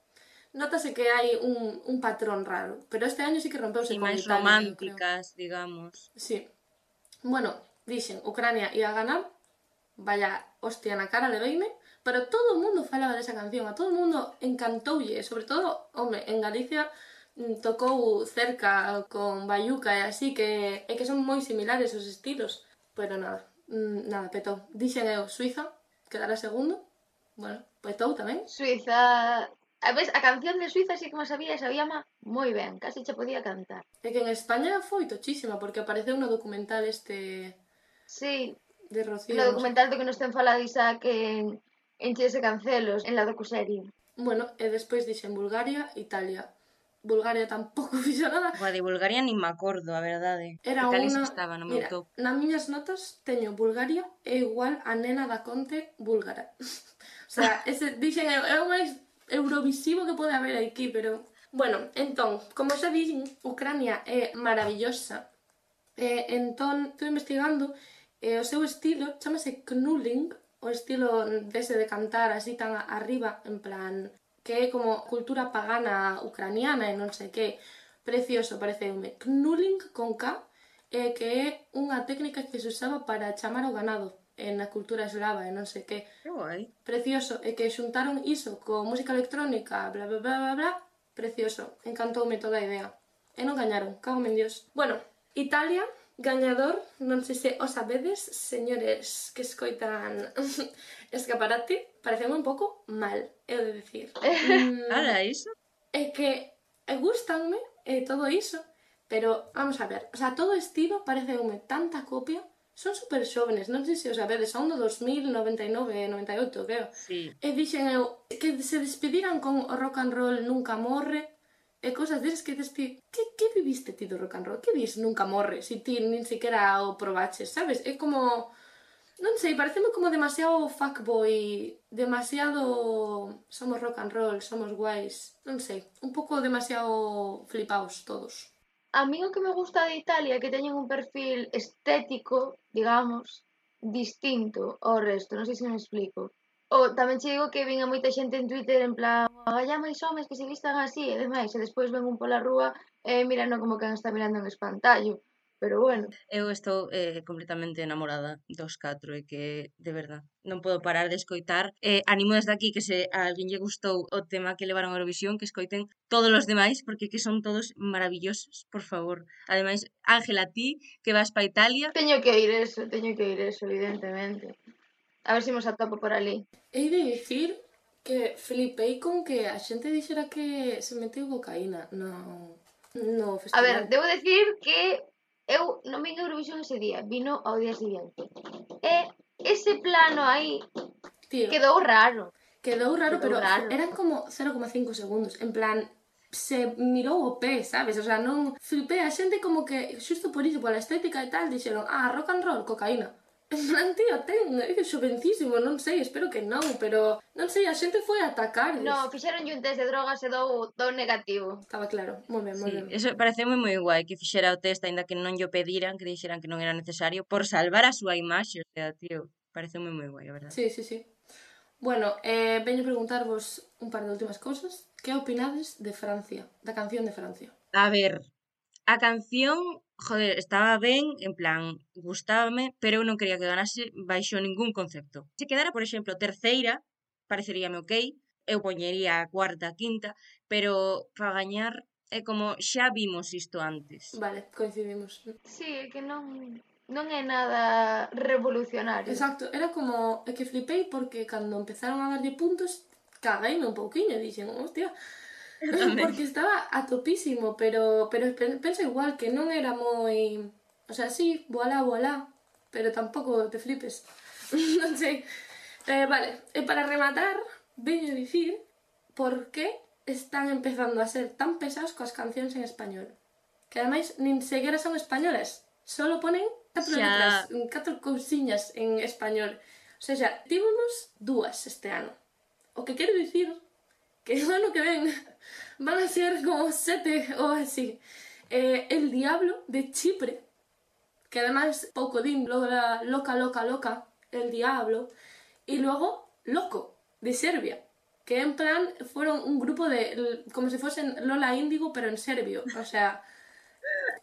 notase que hai un patrón raro, pero este año sí que rompeuse E con máis Italia, eu creo. románticas, digamos. Sí. Bueno, dixen, Ucrania ia ganar, vaya hostia na cara leveime, pero todo o mundo falaba desa canción, a todo o mundo encantoulle, sobre todo, home, en Galicia tocou cerca con Bayuca e así, que son moi similares os estilos, pero nada, petou. Dixen eu, Suiza, quedará segundo, bueno, petou tamén. Suiza... A ves, a canción de Suiza sí que me sabíama moi ben, casi che podía cantar. É que en España foi tochísima, porque apareceu no documental este Sí, de Rocío. no documental do que nos ten falado Isaac en Chies e Cancelos, en la docuserie. Bueno, e despois dixen Bulgaria, Italia. Bulgaria tampouco fixo nada. Boa, de Bulgaria nin me acordo, a verdade. Era Italia unha... sí estaba no meu Mira, top. nas miñas notas teño Bulgaria é igual a nena da Conte búlgara. O sea, ese, dixen, é o máis eurovisivo que pode haber aquí, pero... Bueno, entón, como xa dixen, Ucrania é maravillosa. Entón, estou investigando, o seu estilo chamase knulling, o estilo dese de cantar así tan arriba, en plan, que é como cultura pagana ucraniana e non sei que, precioso, pareceume. Knulling con K, que é unha técnica que se usaba para chamar ao ganado na cultura eslava e non sei que. Que guai. Precioso, e que xuntaron iso con música electrónica, bla bla bla bla bla, precioso, encantoume toda a idea. E non gañaron, cago en Dios. Bueno, Italia, gañador, non sei se o sabedes, señores que escoitan Escaparate, pareceu un pouco mal, he de decir. Ala, iso? É que gustanme todo iso, pero vamos a ver, o sea, todo estilo pareceume tanta copia, son super xóvenes, non sei se o sabedes, son do 2099 e 98, creo. Sí. E dixen eu que se despediran con o rock and roll nunca morre, e cosas desas que dices ti, que viviste ti do rock and roll? Que dis nunca morre, se ti nin siquiera o probaches, sabes? É como, non sei, pareceme como demasiado fuckboy, demasiado somos rock and roll, somos guais, non sei, un pouco demasiado flipaos todos. A mí o que me gusta de Italia é que teñen un perfil estético, digamos, distinto ao resto, non sei se me explico. Ou tamén che digo que vin a moita xente en Twitter en plan, agalla máis homes que se vistan así e demais, e despois ven un pola rúa e mirando como que está mirando en espantallo. Pero bueno. Eu estou completamente enamorada dos 4 e que, de verdad, non podo parar de escoitar. Animo desde aquí que se a alguén lle gustou o tema que levaron a Eurovisión, que escoiten todos os demais, porque que son todos maravillosos, por favor. Ademais, Ángela, ti que vas pa Italia... Teño que ir eso, evidentemente. A ver se nos atopo por ali. Hei de dicir que flipei con que a xente dixera que se meteu cocaína no festival. A ver, debo decir que eu non vin Eurovisión ese día, vino ao día siguiente. E ese plano aí quedou raro. Quedou raro, pero eran como 0,5 segundos. En plan, se mirou o pé, sabes? O sea, non flipei a xente como que, xusto por iso, pola estética e tal, dixeron, rock and roll, cocaína. En plan, tío, é xovencísimo, non sei, espero que non, pero non sei, a xente foi a atacar. No, fixeron un test de drogas e dou negativo. Estaba claro, moi ben, moi ben. Eso pareceu moi guai que fixera o test, aínda que non llo pediran, que dixeran que non era necesario, por salvar a súa imaxe, o sea, tío, pareceu moi guai, a verdade. Sí. Bueno, veño preguntarvos un par de últimas cousas. Que opinades de Francia, da canción de Francia? A ver, a canción, joder, estaba ben, en plan, gustábame, pero eu non quería que ganase baixo ningún concepto. Se quedara, por exemplo, terceira, pareceríame ok, eu poñería a cuarta, quinta, pero para gañar é como xa vimos isto antes. Vale, coincidimos. Sí, é que non é nada revolucionario. Exacto, era como, é que flipei porque cando empezaron a darlle puntos, cagueime un pouquiño, dixen, hostia, porque estaba a topísimo, pero penso igual que non era moi, o sea, sí, voilà, pero tampouco te flipes, non sei. Vale, e para rematar, veño dicir por que están empezando a ser tan pesados coas cancións en español, que ademais nin sequera son españolas, solo ponen 4 letras, 4 cousiñas en español. O sea, tivemos 2 este ano. O que quero dicir que o ano que ven van a ser como 7 ou así. El Diablo de Chipre, que además pouco din, loca, El Diablo, Y luego, Loco, de Serbia. Que en plan fueron un grupo de... como si fuesen Lola Índigo, pero en serbio. O sea...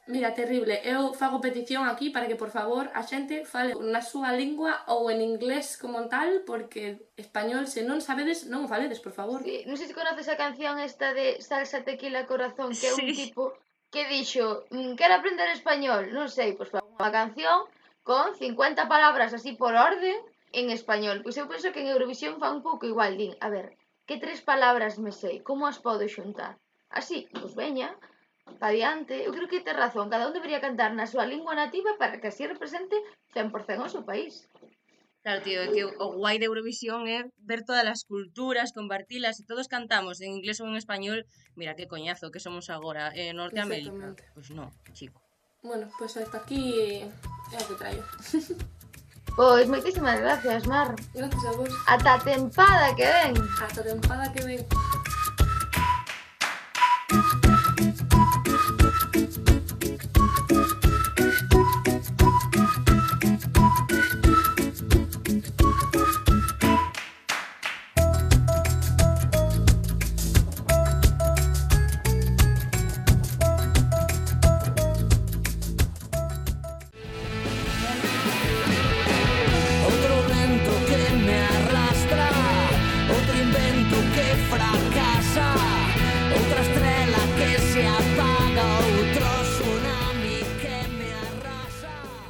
Mira, terrible. Eu fago petición aquí para que, por favor, a xente fale na súa lingua ou en inglés como tal, porque español, se non sabedes, non o faledes, por favor. Sí, non sei se conoces a canción esta de Salsa, Tequila, Corazón, que é un tipo que dixo, quero aprender español, non sei, pois fa unha canción con 50 palabras así por orden en español. Pois eu penso que en Eurovisión fa un pouco igual, din, a ver, que 3 palabras me sei, como as podo xuntar? Así, pois veña, pa diante. Eu creo que ten razón, cada un debería cantar na súa lingua nativa para que así represente 100% o seu país. Claro, tío, é que o guai de Eurovisión é ver todas as culturas, compartilas, e todos cantamos en inglés ou en español. Mira que coñazo que somos agora en Norteamérica. Pois non, chico. Bueno, pois hasta aquí é o que traio. Pois moitísimas gracias, Mar. Gracias a vos. Ata a tempada que ven. Ata a tempada que ven.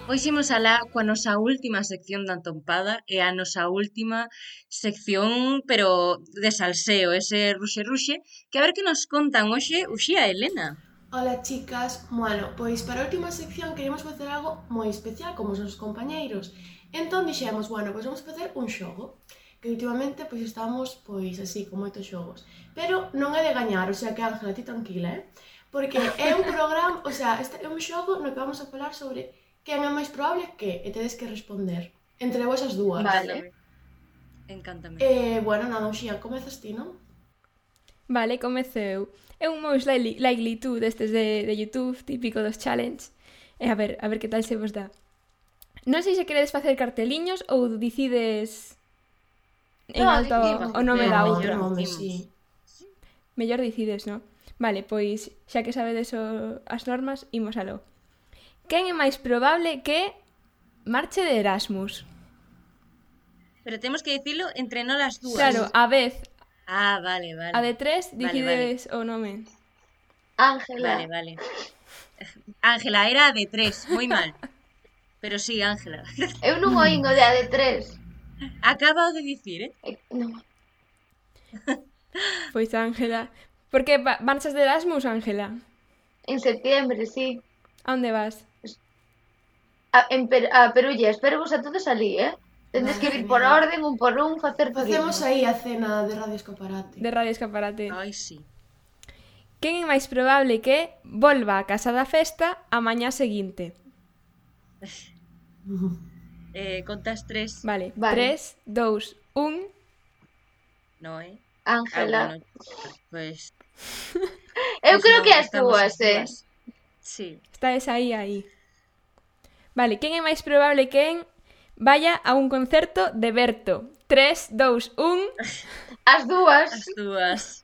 Hoxe imos alá coa nosa última sección da Entompada e a nosa última sección, pero de salseo, ese ruxe-ruxe, que a ver que nos contan hoxe Uxía e Elena. Hola chicas, bueno, pois para a última sección queremos facer algo moi especial como os nosos compañeiros. Entón dixemos, bueno, pois vamos facer un xogo, que últimamente pois estamos pois así, con moitos xogos. Pero non é de gañar, o sea que Ángela, ti tranquila, porque é un programa, o sea, este é un xogo no que vamos a falar sobre quen é máis probable que, e tedes que responder entre vosas dúas. Vale. Encántame. Bueno, nada, Uxía, comezas ti, non? Vale, comezo eu. É un Most Likely To destes de YouTube, típico dos challenge. E a ver que tal se vos dá. Non sei se queredes facer carteliños ou decides en alto o nome da outra. Sí. Mellor decides, non? Vale, pois xa que sabedes as normas, imos aló. Quen é máis probable que marche de Erasmus? Pero temos que dicilo entre nós as dúas. Claro, a vez. Ah, vale. A de 3 decides o nome. Ángela. Vale. Ángela, era a de 3, moi mal. Pero sí, Ángela. Eu non oín o de a de 3. Acaba de dicir, Non. Pois Ángela. Por que marchas de Erasmus, Ángela? En septiembre, sí. A onde vas? A Perulla, espero vos a todos alí, Tendes que vir por orden, un por un, facer turismo. Facemos aí a cena de Radio Escaparate. De Radio Escaparate. Ai, sí. Quen é máis probable que volva a casa da festa a mañá seguinte? Contas 3. Vale. 3, 2, 1... No, Ángela. Bueno, pues... Eu creo que as túas, Sí. Estáis aí. Vale, quen é máis probable que vaya a un concerto de Berto? 3, 2, 1... As dúas.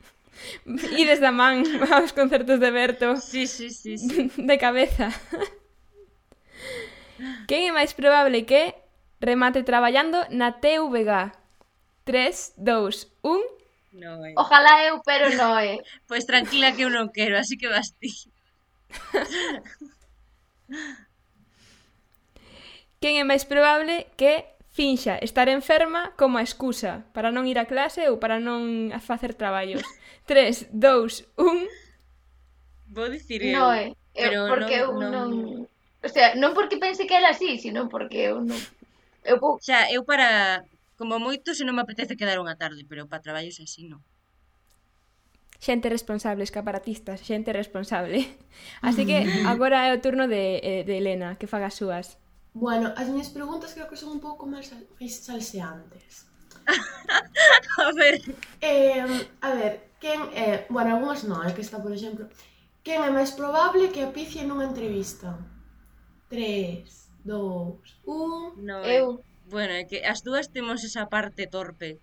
Ides da man aos concertos de Berto. Sí. De cabeza. Quen é máis probable que remate traballando na TVG? 3, 2, 1... No, Ojalá eu, pero non, Pois tranquila que eu non quero, así que vas ti. Quen é máis probable que finxa estar enferma como a excusa para non ir a clase ou para non facer traballos? 3, 2, 1... Vou dicir eu. Non, porque eu non... O sea, non porque pense que ela así, sino porque eu non... O sea, eu para... Como moito se non me apetece quedar unha tarde, pero para traballos así non. Xente responsable, escaparatistas, xente responsable. Así que agora é o turno de Elena, que faga as súas. Bueno, as miñas preguntas creo que son un pouco máis salseantes. A ver, quen é... Bueno, algunhas non, que está, por exemplo... Quen é máis probable que apicie nunha entrevista? 3, 2, 1... no, eu. Bueno, é que as dúas temos esa parte torpe.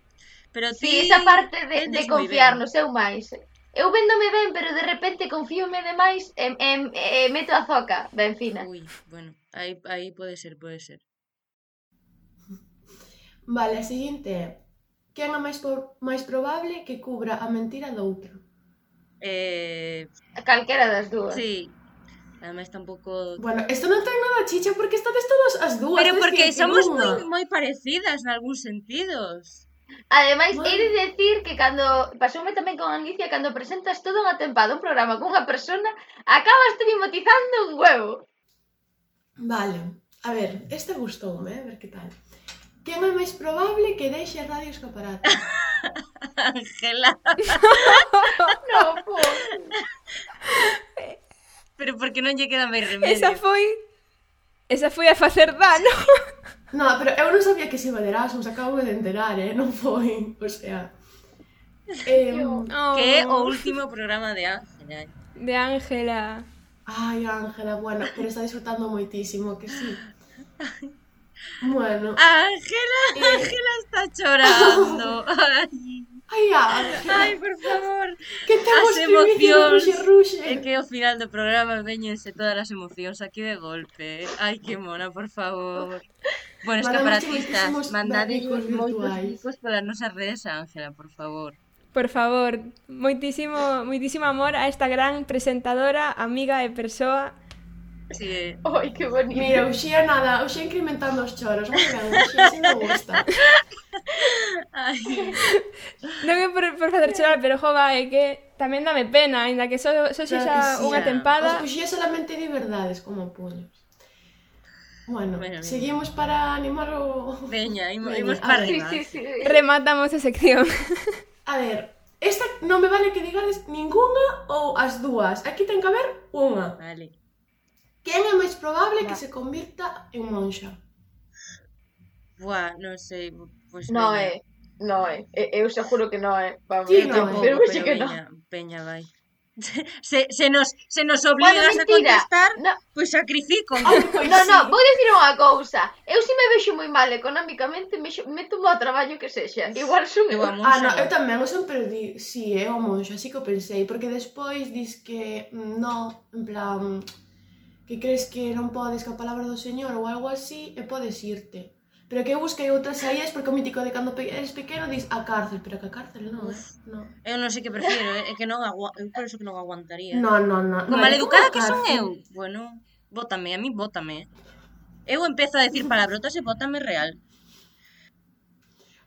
Pero ti... Sí, esa parte de vendes moi confiar ben. no seu máis. Eu véndome ben, pero de repente confíome demais e meto a zoca ben fina. Ui, bueno, aí pode ser. Vale, a seguinte é: quen é máis probable que cubra a mentira do outro? Calquera das dúas. Sí. Ademais tampouco... Bueno, isto non ten nada chicha porque estades todas as dúas. Pero tens porque que somos unha. moi parecidas nalgúns sentidos. Ademais, Bueno. he de decir que cando pasoume tamén con Alicia, cando presentas toda unha tempada un programa cunha persona, acabas mimotizando un huevo. Vale, a ver, este gustoume, a ver que tal. Quen é máis probable que deixe a Radio Escaparate? Ángela. No, po. Pero porque non lle queda máis remedio. Esa foi a facer dano. No, pero eu non sabía que se iba de Erasmus, acabo de enterar, non foi, o sea... Oh, Que é o último programa de Ángela. de Ángela. Ai, Ángela, bueno, pero está disfrutando moitísimo, que sí. Bueno... Ángela está chorando. Ai, Ángela, Ai, por favor. que temos As emocións. emocións. É que ao final do programa veñense todas as emocións aquí de golpe. Ai, que mona, por favor. Bueno, Mandamos escaparatistas, moitísimos mandadillos bicos moitos virtuais. bicos polas nosas redes a Ángela, por favor. Por favor, moitísimo amor a esta gran presentadora, amiga e persoa. Sí. Ai, que bonito. Mira, Uxía nada, Uxía incrementando os choros, moi ben, Uxía, así me gusta. Ai, Non é por facer chorar, pero jova, é que tamén dame pena, aínda que só Claro sexa que sí. unha tempada. Os Uxía solamente di verdades como puños. Bueno, Bueno, seguimos para animar o... veña, Veña, imos a para ver. arriba. Sí. Rematamos a sección. A ver, esta non me vale que digades ninguna ou as dúas. Aquí ten que haber unha. Vale. Quen é máis probable que se convirta en monxa? Buah, non sei, pois No veña. Eu seguro que non é. Vamos, Sí, Eu no, tampouco, pero pero sí que non. veña, vai. Se nos obligas a contestar, No, pois sacrifico. Pois no, sí. vou dicir unha cousa. Eu se me vexo moi mal económicamente, meto ao traballo que sexa. Igual son Eu eu. amo Ah, no, eu tamén, eu sempre di, sí, é o monxa, así que o pensei, porque despois dis que no, en plan, que crees que non podes ca palabra do Señor ou algo así, e podes irte. Pero que eu busquei outras saídas porque o mítico de cando eres pequeno dis a cárcel, pero que a cárcel non, non. Eu non sei que prefiro, é que non eu por eso que non aguantaría. No. Con maleducada como a que son cárcel. eu. Bueno, bótame, a mí bótame. Eu empezo a decir palabrotas e bótame real.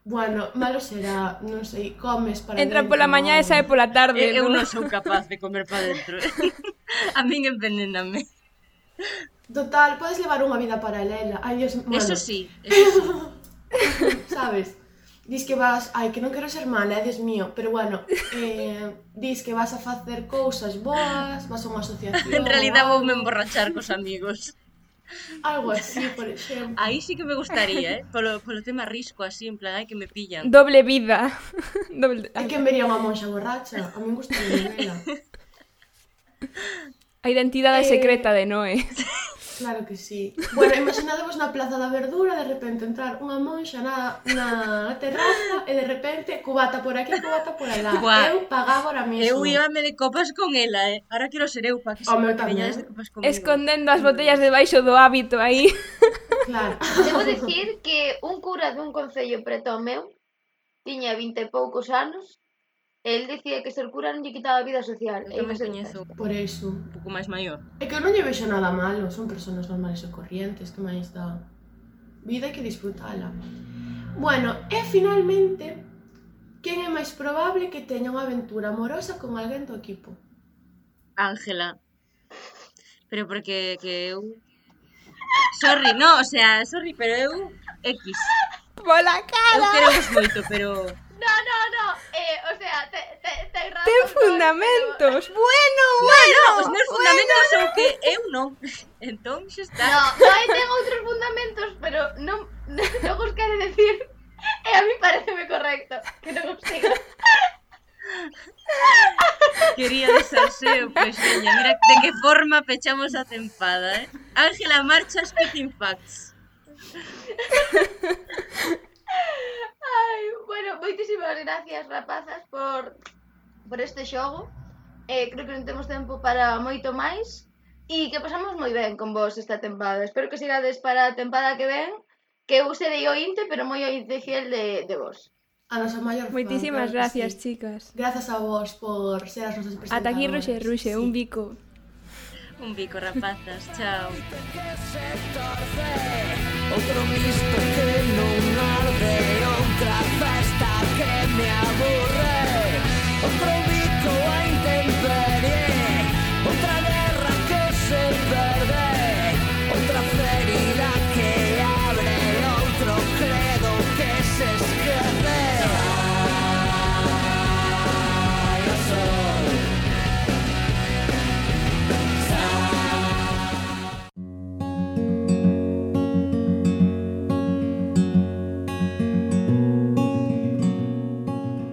Bueno, malo será, non sei, comes para Entra dentro, pola mañá e sae pola tarde. Eu non? non sou capaz de comer para dentro. A min envenéname. Total, podes levar unha vida paralela. Ai, Dios, bueno, Eso sí. sabes? Dis que vas, ai, que non quero ser mala, Dios mío, pero bueno, dis que vas a facer cousas boas, vas a unha asociación. En realidad ou voume emborrachar cos amigos. algo así, por exemplo. Aí sí que me gustaría, polo tema risco así, en plan, ai que me pillan. Doble vida. É que vería unha monxa borracha, a min gustaría vela. A identidade secreta de Noé. Claro que sí. Bueno, imaginadevos na Plaza da Verdura, de repente entrar unha monxa na terraza e de repente cubata por aquí, cubata por alá. Buah. Eu pagaba ahora mismo. Eu íbame de copas con ela, Ahora quero ser eu, pa que se Home, eu tamén. veñades de copas comigo. Escondendo as botellas debaixo do hábito aí. Claro. Debo dicir que un cura dun concello preto ao meu tiña 20 e poucos anos e el dicía que ser cura non lle quitaba a vida social. Eu tamén coñezo Por eso. un pouco máis maior. É que eu non lle vexo nada malo, son persoas normales e corrientes, que máis dá. Vida hai que disfrutala. Bueno, e finalmente, quen é máis probable que teña unha aventura amorosa con alguén do equipo? Ángela. Pero porque que eu... Sorry, no, o sea, sorry, pero eu... X. Pola Eu cara. queremos moito, pero... No. O sea, ten razón. Ten fundamentos. Bueno. Os meus fundamentos son que eu non. Entón, xa está. No, ten outros fundamentos, pero non os quere decir. E a mí pareceme correcto que non os siga. Quería desaseo, pois veña, mira de que forma pechamos a tempada, Ángela, marcha spitting facts. Ai, bueno, moitísimas gracias, rapazas, por este xogo. Creo que non temos tempo para moito máis e que pasamos moi ben con vos esta tempada. Espero que sigades para a tempada que ven, que eu serei ointe, pero moi ointe fiel de vos. A nosa maior fan. Moitísimas claro que gracias, sí. chicas. Grazas a vos por ser as nosas presentadoras. Ata aquí Ruxe, un bico. Un bico, rapazas. Chao. Outro misto que non arde, outra festa que me aburre, outro bico a intemperie, outra guerra que se perde, outra ferida que abre, outro credo que se esquece. Sai o sol,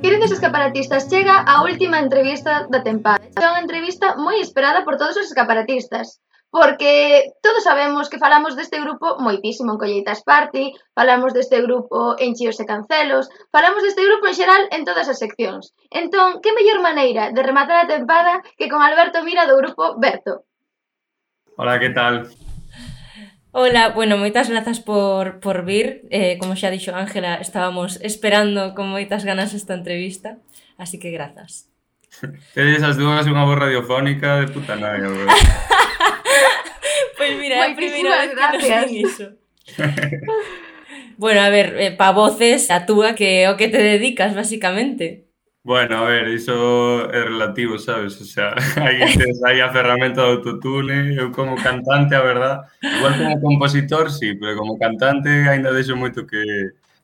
Queridos escaparatistas, chega a última entrevista da tempada. É unha entrevista moi esperada por todos os escaparatistas, porque todos sabemos que falamos deste grupo moitísimo en Colleitas Party, falamos deste grupo en Chíos e Cancelos, falamos deste grupo en xeral en todas as seccións. Entón, que mellor maneira de rematar a tempada que con Alberto Mira do grupo Berto? Hola, que tal? Hola, bueno, moitas grazas por vir. Como xa dixo Ángela, estábamos esperando con moitas ganas esta entrevista, así que grazas. Tedes as dúas unha voz radiofónica de puta nada, verdad? Pois mira, é a primeira vez que nos gracias. din iso. Bueno, a ver, pa voces, a túa que é o que te dedicas, basicamente. Bueno, a ver, iso é relativo, sabes? O sea, hai a ferramenta de autotune, eu como cantante, a verdad, igual como compositor, sí, pero como cantante ainda deixo moito que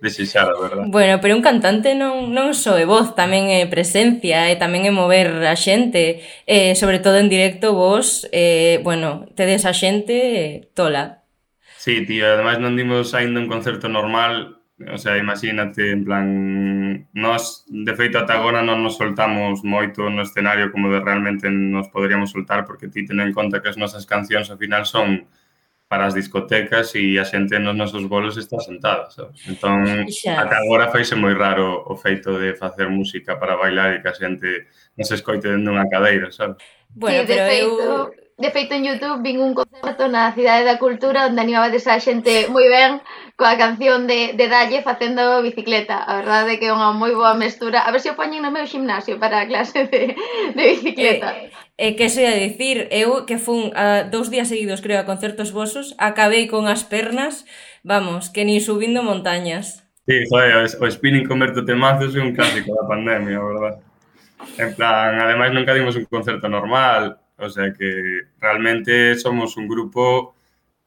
desexar, a verdad. Bueno, pero un cantante non só é voz, tamén é presencia, e tamén é mover a xente, sobre todo en directo vos, bueno, tedes a xente tola. Sí, tío, ademais non dimos aínda un concerto normal, o sea, imagínate, en plan, nós, de feito, ata agora non nos soltamos moito no escenario como de realmente nos poderíamos soltar, porque ti ten en conta que as nosas cancións ao final son para as discotecas e a xente nos nosos bolos está sentada, sabes? Entón, ata agora faise moi raro o feito de facer música para bailar e que a xente non se escoite dentro dunha cadeira, sabes? Bueno, sí, de feito en YouTube vin un concerto na Cidade da Cultura onde animabades a xente moi ben coa canción de Dalle facendo bicicleta. A verdade é que é unha moi boa mestura. A ver se o poñen no meu gimnasio para a clase de bicicleta. Que se ia dicir, eu que fun 2 días seguidos, creo, a concertos vosos, acabei con as pernas, vamos, que nin subindo montañas. Sí, joder, o spinning converto temazos é un clásico da pandemia, a verdad. En plan, ademais nunca dimos un concerto normal, o sea que realmente somos un grupo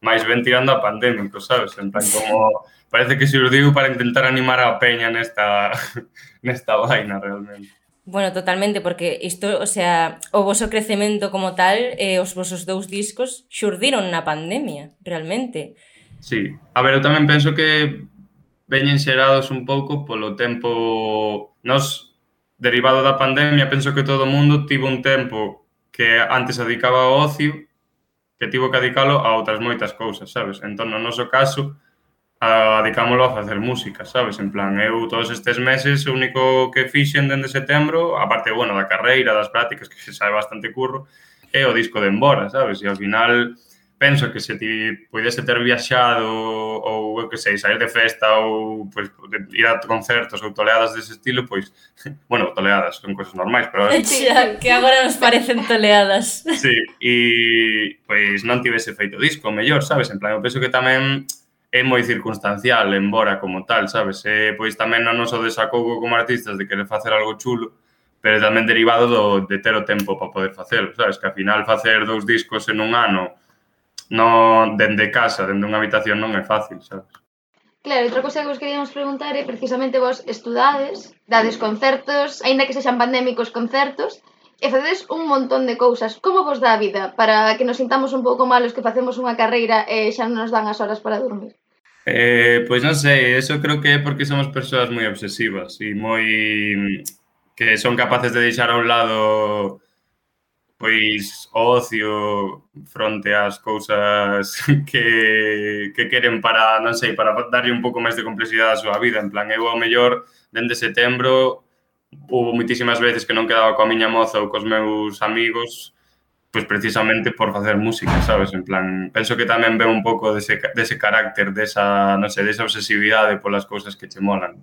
máis ben tirando a pandémico, sabes? En plan, como parece que se os digo para intentar animar a peña nesta vaina, realmente. Bueno, totalmente, porque isto, o sea, o voso crecemento como tal, os vosos 2 discos xurdiron na pandemia, realmente. Sí, a ver, eu tamén penso que veñen xerados un pouco polo tempo. Nos, derivado da pandemia, penso que todo o mundo tivo un tempo que antes se dedicaba ao ocio, que tivo que dedicalo a outras moitas cousas, sabes? Entón, no noso caso, dedicámoslo a facer música, sabes? En plan, eu todos estes meses o único que fixen dende setembro, aparte, bueno, da carreira, das prácticas, que se sabe bastante curro, é o disco de Embora, sabes? E ao final penso que se ti puidese ter viaxado ou, eu que sei, sair de festa ou pues, ir a concertos ou toleadas dese estilo, pois, bueno, toleadas son cousas normais, pero... Xa, que agora nos parecen toleadas. Sí, e pois non tivese feito disco, mellor, sabes? En plan, eu penso que tamén é moi circunstancial, embora como tal, sabes? Pois tamén non noso desacougo como artistas de querer facer algo chulo, pero tamén derivado de ter o tempo para poder facelo, sabes? Que ao final facer 2 discos en un ano non dende casa, dende unha habitación non é fácil, sabes? Claro, outra cosa que vos queríamos preguntar é precisamente vos estudades, dades concertos, aínda que sexan pandémicos concertos, e facedes un montón de cousas. Como vos dá a vida para que nos sintamos un pouco malos que facemos unha carreira e xa non nos dan as horas para dormir? Pois non sei, eso creo que é porque somos persoas moi obsesivas e moi... que son capaces de deixar a un lado pois o ocio fronte ás cousas que queren para, non sei, para darlle un pouco máis de complexidade á súa vida. En plan, eu ao mellor, dende setembro, hubo moitísimas veces que non quedaba coa miña moza ou cos meus amigos, pois precisamente por facer música, sabes? En plan, penso que tamén ve un pouco dese carácter, desa, non sei, desa obsesividade polas cousas que che molan.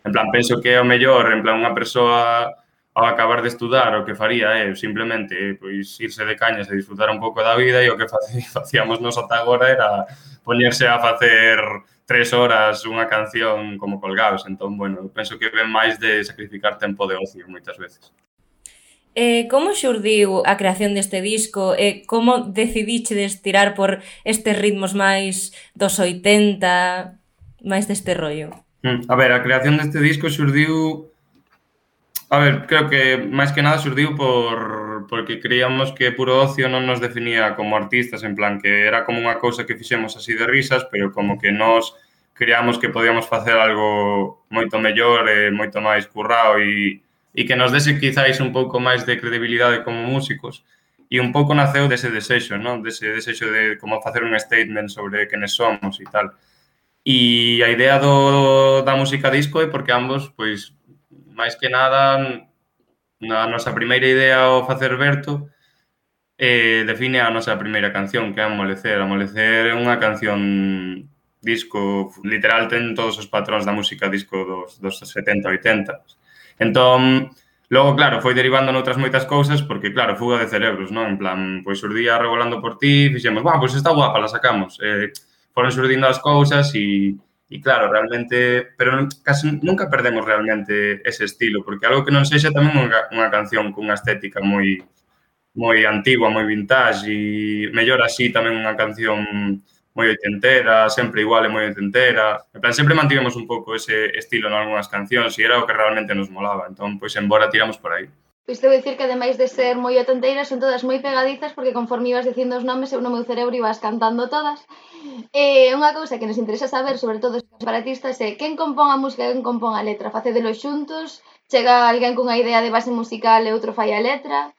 En plan, penso que ao mellor, en plan, unha persoa ao acabar de estudar o que faría é simplemente pois irse de cañas e disfrutar un pouco da vida, e o que facíamos nos ata agora era poñerse a facer 3 horas unha canción como colgados. Entón, bueno, penso que ven máis de sacrificar tempo de ocio moitas veces. Como xurdiu a creación deste disco e como decidichedes tirar por estes ritmos máis dos 80, máis deste rollo? A ver, a creación deste disco xurdiu... A ver, creo que máis que nada xurdiu porque creíamos que puro ocio non nos definía como artistas, en plan que era como unha cousa que fixemos así de risas, pero como que nós creíamos que podíamos facer algo moito mellor e moito máis currado e que nos dese quizáis un pouco máis de credibilidade como músicos. E un pouco naceu dese desexo, non? Dese desexo de como facer un statement sobre quenes somos e tal. E a idea da música disco é porque ambos, pois, máis que nada, na nosa primeira idea ao facer Berto define a nosa primeira canción, que é Amolecer. Amolecer é unha canción disco, literal, ten todos os patróns da música disco dos 70, 80. Entón, logo, claro, foi derivando noutras moitas cousas, porque, claro, fuga de cerebros, non? En plan, pois xurdía Revolando por ti, fixemos, pois está guapa, la sacamos. Foron xurdindo as cousas e claro, realmente, pero casi nunca perdemos realmente ese estilo, porque algo que non sexa tamén unha canción cunha estética moi antigua, moi vintage, e mellor así tamén unha canción moi oitentera, sempre igual e moi oitentera. En plan, sempre mantivemos un pouco ese estilo en algunhas cancións e era o que realmente nos molaba. Entón, pois, embora tiramos por aí. Pois te vou dicir que ademais de ser moi atenteiras son todas moi pegadizas porque conforme ibas dicindo os nomes eu no meu cerebro ibas cantando todas. Unha cousa que nos interesa saber, sobre todo os separatistas, é quen compón a música e quen compón a letra. Facedelo xuntos? Chega alguén cunha idea de base musical e outro fai a letra?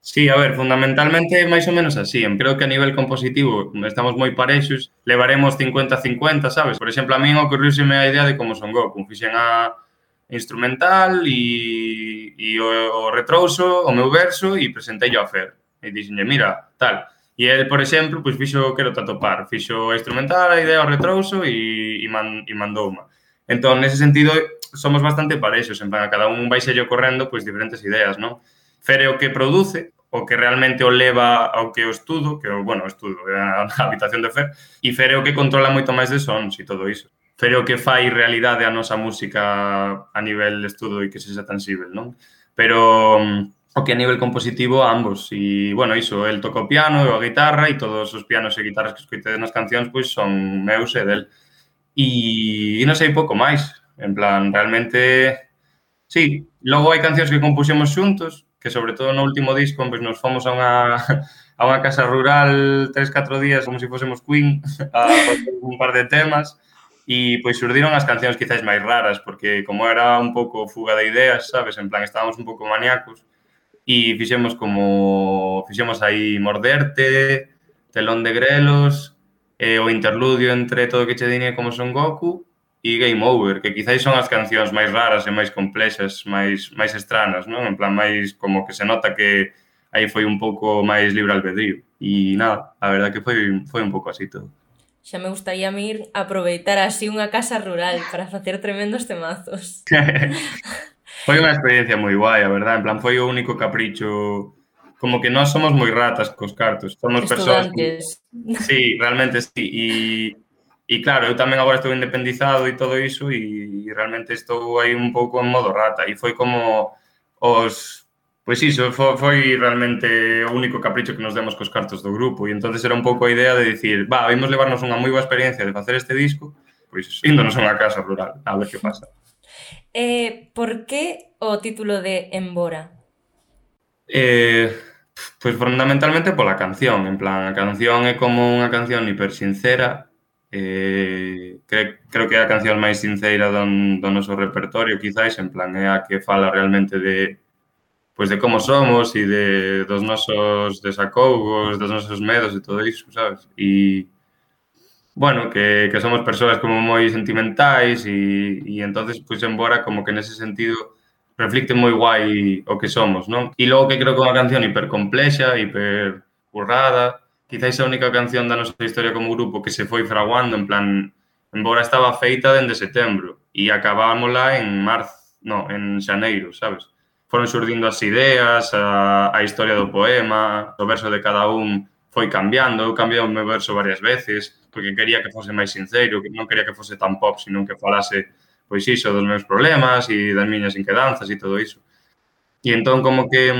Sí, a ver, fundamentalmente máis ou menos así. Creo que a nivel compositivo estamos moi parexos, levaremos 50-50, sabes? Por exemplo, a min ocorriuseme a idea de Como Son Goku. Fixen a instrumental e o retrouso, o meu verso, e presenteillo a Fer. E dixenlle, mira, tal. E el, por exemplo, pois fixo Quero te atopar. Fixo a instrumental, a idea, o retrouso e mandouma. Entón, nese sentido, somos bastante parexos. En plan, a cada un vai sello correndo pois diferentes ideas, non? Fer é o que produce, o que realmente o leva ao que o estudo, que, bueno, o estudo é a habitación de Fer, e Fer é o que controla moito máis de sons e todo iso. Fer é o que fai realidade a nosa música a nivel estudo e que sexa tangible, non? Pero o que a nivel compositivo, ambos. E, bueno, iso, el toca o piano e a guitarra e todos os pianos e guitarras que escoitedes nas cancións, pois, son meus e del. E non sei pouco máis. En plan, realmente, sí. Logo hai cancións que compuxemos xuntos, que sobre todo no último disco, pois, nos fomos a unha casa rural 3-4 días como se fósemos Queen a facer un par de temas. E, pois, surdiron as cancións quizáis máis raras, porque como era un pouco fuga de ideas, sabes? En plan, estábamos un pouco maníacos e fixemos aí Morderte, Telón de Grelos, o interludio entre Todo que che diñe Como Son Goku e Game Over, que quizáis son as cancións máis raras e máis complexas, máis estranas, non? En plan, máis como que se nota que aí foi un pouco máis libre albedrío. E nada, a verdad que foi un pouco así todo. Xa me gustaría ir aproveitar así unha casa rural para facer tremendos temazos. Foi unha experiencia moi guai, a verdad. En plan, foi o único capricho... Como que nós somos moi ratas cos cartos. Somos persoas... Sí, realmente sí. E claro, eu tamén agora estou independizado e todo iso e realmente estou aí un pouco en modo rata. E foi como os... Pois iso, foi realmente o único capricho que nos demos cos cartos do grupo e entonces era un pouco a idea de dicir vimos levarnos unha moi boa experiencia de facer este disco, pois índonos a unha casa rural, a ver que pasa. Por que o título de Embora? Pois fundamentalmente pola canción, en plan, a canción é como unha canción hiper sincera, creo que é a canción máis sincera do noso repertorio, quizáis, en plan, é a que fala realmente de pois de como somos e dos nosos desacougos, dos nosos medos e todo iso, sabes? E, bueno, que somos persoas como moi sentimentais e entonces, pois, embora como que nese sentido reflicte moi guai o que somos, non? E logo que creo que é unha canción hipercomplexa, hiper currada, quizáis a única canción da nosa historia como grupo que se foi fraguando, en plan, embora estaba feita dende setembro e acabámola en xaneiro, sabes? Foron xurdindo as ideas, a historia do poema, o verso de cada un foi cambiando, eu cambiei o meu verso varias veces, porque quería que fose máis sincero, que non quería que fose tan pop, sino que falase, pois iso, dos meus problemas e das miñas inquedanzas e todo iso. E entón, como que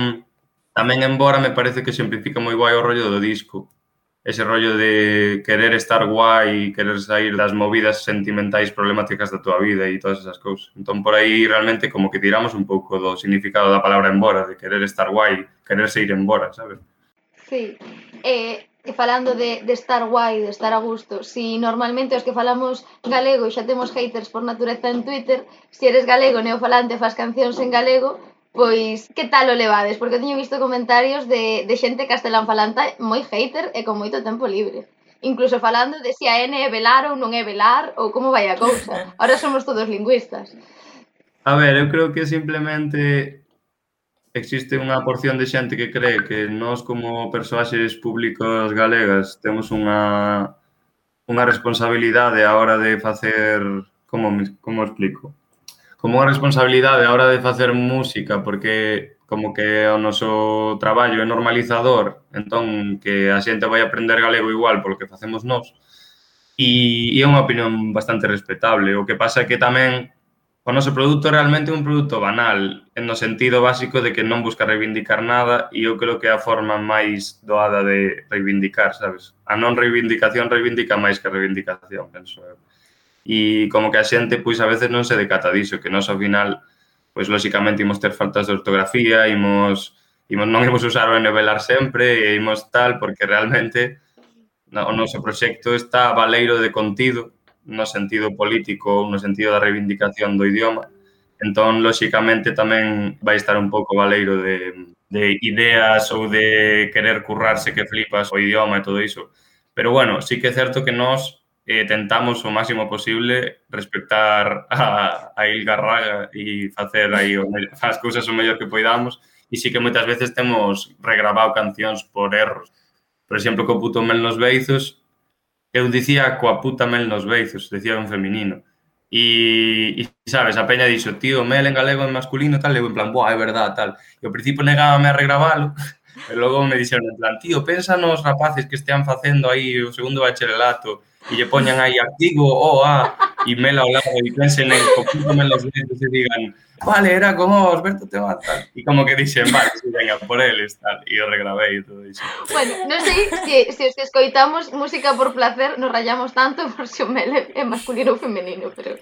tamén embora me parece que simplifica moi guai o rollo do disco, ese rollo de querer estar guai, querer sair das movidas sentimentais problemáticas da tua vida e todas esas cousas. Entón, por aí, realmente, como que tiramos un pouco do significado da palabra embora, de querer estar guai, quererse ir embora, sabes? Sí, e falando de estar guai, de estar a gusto, si normalmente os que falamos galego xa temos haters por natureza en Twitter, si eres galego neofalante fas cancións en galego, pois que tal o levades? Porque eu teño visto comentarios de xente castelán falante moi hater e con moito tempo libre. Incluso falando de si a N é velar ou non é velar, ou como vai a cousa. Ahora somos todos lingüistas. A ver, eu creo que simplemente existe unha porción de xente que cree que nós como persoaxes públicos galegas temos unha responsabilidade a hora de facer... Como explico? Como unha responsabilidade a hora de facer música, porque como que o noso traballo é normalizador, entón que a xente vai aprender galego igual polo que facemos nós. E é unha opinión bastante respetable. O que pasa é que tamén o noso produto realmente é un produto banal, no sentido básico de que non busca reivindicar nada e eu creo que é a forma máis doada de reivindicar, sabes? A non reivindicación reivindica máis que a reivindicación, penso eu. E como que a xente, pois, a veces non se decata diso, que nós, ao final, pois, lóxicamente, imos ter faltas de ortografía, non imos usar o envelar sempre, e imos tal, porque realmente o noso proxecto está baleiro de contido, no sentido político ou no sentido da reivindicación do idioma. Entón, lóxicamente, tamén vai estar un pouco baleiro de ideas ou de querer currarse que flipas o idioma e todo iso. Pero, bueno, sí que é certo que nós tentamos o máximo posible respectar a Ilgarraga e facer aí as cousas o mellor que poidamos e sí que moitas veces temos regrabado cancións por erros. Por exemplo, co puto mel nos beizos, eu dicía coa puta mel nos beizos, decía en feminino. E sabes, a peña dixo, tío, mel en galego en masculino, tal, e eu en plan, boa, é verdad, tal. E ao principio negábame a regravalo, e logo me dixeron en plan, tío, pensa nos rapaces que estean facendo aí o segundo bacharelato e lle poñan aí artigo, e mel ao lado, e pensen en o puto mel nos beizos e digan, vale, era como Osberto te va, tal. E como que dixen, vale, si, venga, por eles, tal. E o regravei e todo iso. Bueno, non sei se os que escoitamos música por placer nos rayamos tanto por se o mel é masculino ou femenino, pero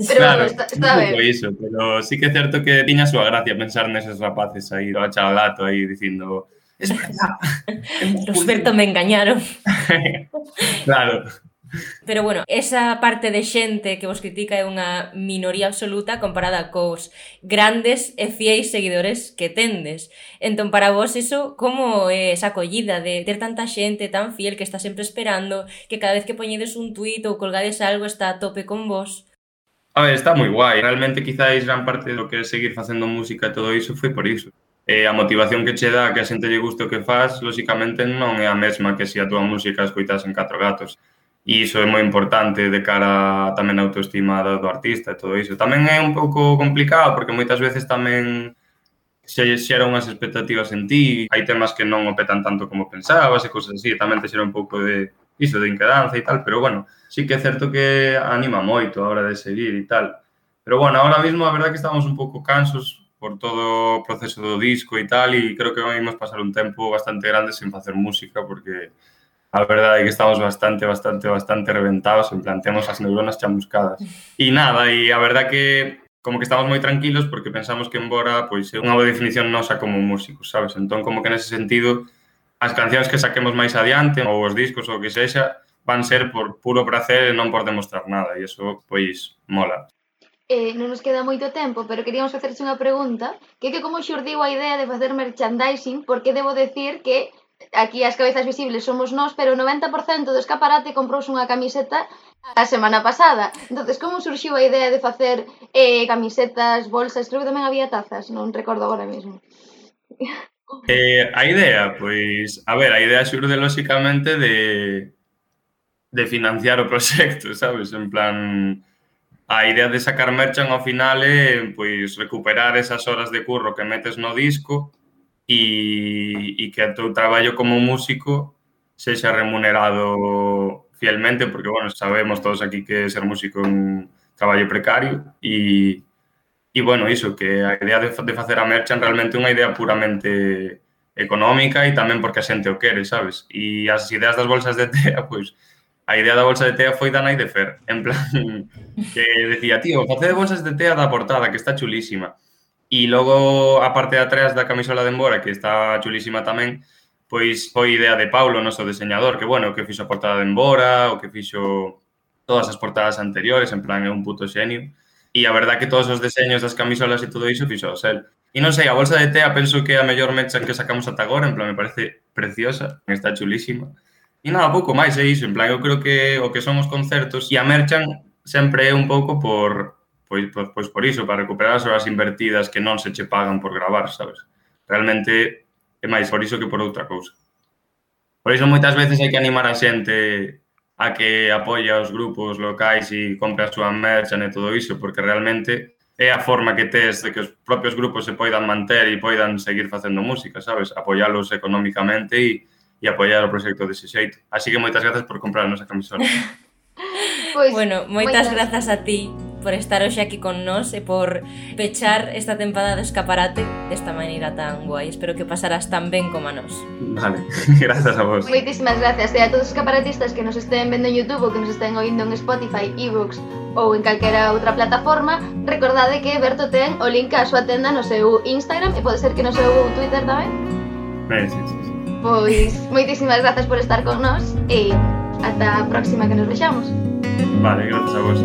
claro, está ben. Iso, pero sí que é certo que tiña a súa gracia pensar neses rapaces aí, o chalalato aí, dicindo, es verdad. Osberto me engañaron. Claro. Pero bueno, esa parte de xente que vos critica é unha minoría absoluta comparada cos grandes e fiéis seguidores que tendes. Entón, para vos, iso, como é esa acollida de ter tanta xente tan fiel que está sempre esperando, que cada vez que poñedes un tuit ou colgades algo está a tope con vos? A ver, está moi guai. Realmente, quizáis, gran parte do que é seguir facendo música e todo iso foi por iso. A motivación que che dá que a xente lle guste o que faz, lóxicamente, non é a mesma que se a túa música escoitas en 4 gatos. E iso é moi importante de cara tamén a autoestima do artista e todo iso. Tamén é un pouco complicado porque moitas veces tamén se xera unhas expectativas en ti, hai temas que non o petan tanto como pensabas e cousas así, tamén te xera un pouco de iso, de inquedanza e tal, pero bueno, sí que é certo que anima moito a hora de seguir e tal. Pero bueno, ahora mismo a verdade que estamos un pouco cansos por todo o proceso do disco e tal, e creo que vamos pasar un tempo bastante grande sen facer música porque a verdade é que estamos bastante reventados, en plan, temos as neuronas chamuscadas. E nada, e a verdade que como que estamos moi tranquilos porque pensamos que embora pois é unha boa definición nosa como músicos, sabes? Entón, como que nese sentido, as cancións que saquemos máis adiante, ou os discos, ou o que sexa, van ser por puro prazer e non por demostrar nada, e iso, pois, mola. non nos queda moito tempo, pero queríamos facerse unha pregunta, que como xurdiu a idea de facer merchandising, porque debo decir que aquí as cabezas visibles somos nós, pero o 90% do escaparate comprouse unha camiseta a semana pasada. Entonces, como surxiu a idea de facer camisetas, bolsas, creo que tamén había tazas, non recordo agora mesmo. A idea, pois, a idea xurde lóxicamente de financiar o proxecto, sabes? En plan, a idea de sacar merchan ao final é pois recuperar esas horas de curro que metes no disco e que o teu traballo como músico sexa remunerado fielmente, porque, bueno, sabemos todos aquí que ser músico é un traballo precario e bueno, iso, que a idea de facer a merchan realmente é unha idea puramente económica e tamén porque a xente o quere, sabes? E as ideas das bolsas de tea, pois, a idea da bolsa de tea foi da nai de Fer, en plan, que decía, tío, facede bolsas de tea da portada, que está chulísima. E logo, a parte de atrás da camisola de Embora, que está chulísima tamén, pois foi idea de Paulo, noso diseñador, que, bueno, que fixo a portada de Embora, o que fixo todas as portadas anteriores, en plan, é un puto xenio. E a verdad que todos os deseños das camisolas e todo iso fixo el. E non sei, a bolsa de tea penso que é a mellor merchan que sacamos ata agora, en plan, me parece preciosa, está chulísima. E nada, pouco máis é iso, en plan, eu creo que o que son os concertos e a merchan sempre é un pouco por iso, para recuperar as horas invertidas que non se che pagan por gravar, sabes? Realmente é máis por iso que por outra cousa. Por iso moitas veces hai que animar a xente a que apoia os grupos locais e compre a súa merchan e todo iso, porque realmente é a forma que tes de que os propios grupos se poidan manter e poidan seguir facendo música, sabes? Apoialos económicamente e apoiar o proxecto dese xeito. Así que moitas grazas por comprar a nosa camisola. Pues, bueno, moitas grazas a ti por estar hoxe aquí con nós e por pechar esta tempada do escaparate desta maneira tan guai. Espero que pasarás tan ben como a nós. Vale, grazas a vos. Moitísimas gracias. E a todos os escaparatistas que nos estén vendo en YouTube ou que nos estén oindo en Spotify, eBooks ou en calquera outra plataforma, recordade que Berto ten o link á súa tenda no seu Instagram e pode ser que no seu Twitter tamén. Sí. Pois, moitísimas grazas por estar con nós e ata a próxima que nos vexamos. Vale, grazas a vos.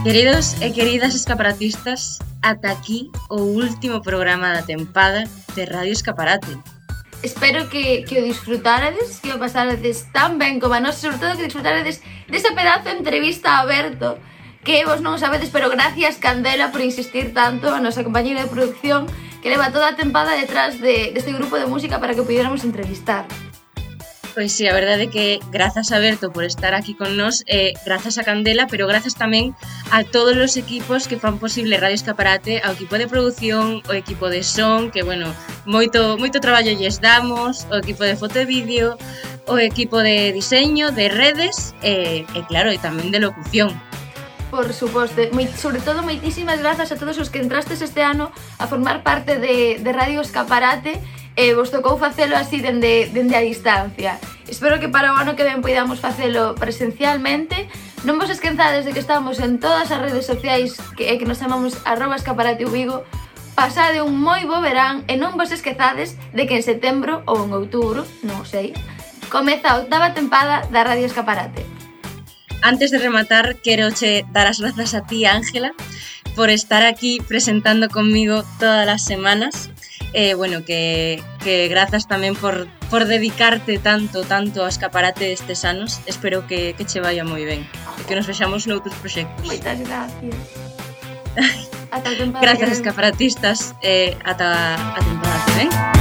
Queridos e queridas escaparatistas, ata aquí o último programa da tempada de Radio Escaparate. Espero que o disfrutarades, que o pasarades tan ben como a nós, sobre todo que disfrutarades desa pedazo de entrevista a Berto, que vos non sabedes, pero gracias Candela por insistir tanto, a nosa compañera de producción, que leva toda a tempada detrás deste grupo de música para que o pudiéramos entrevistar. Pois sí, a verdade é que grazas a Berto por estar aquí con nós, grazas a Candela, pero grazas tamén a todos os equipos que fan posible Radio Escaparate, ao equipo de produción, o equipo de son, que, bueno, moito traballo lles damos, o equipo de foto e vídeo, o equipo de diseño, de redes, e claro, e tamén de locución. Por suposto, sobre todo moitísimas grazas a todos os que entrastes este ano a formar parte de Radio Escaparate e vos tocou facelo así dende a distancia. Espero que para o ano que ven poidamos facelo presencialmente. Non vos esquenzades de que estamos en todas as redes sociais que nos chamamos @escaparateuvigo. Pasade un moi bo verán e non vos esquezades de que en setembro ou en outubro, non sei, comeza a 8ª tempada da Radio Escaparate. Antes de rematar, quero che dar as grazas a ti, Ángela, por estar aquí presentando conmigo todas as semanas. Bueno, que grazas tamén por dedicarte tanto ao escaparate destes anos. Espero que che vaya moi ben e que nos vexamos noutros proxectos. Moitas gracias. Ata a tempada. Grazas, escaparatistas, ata a tempada que ven.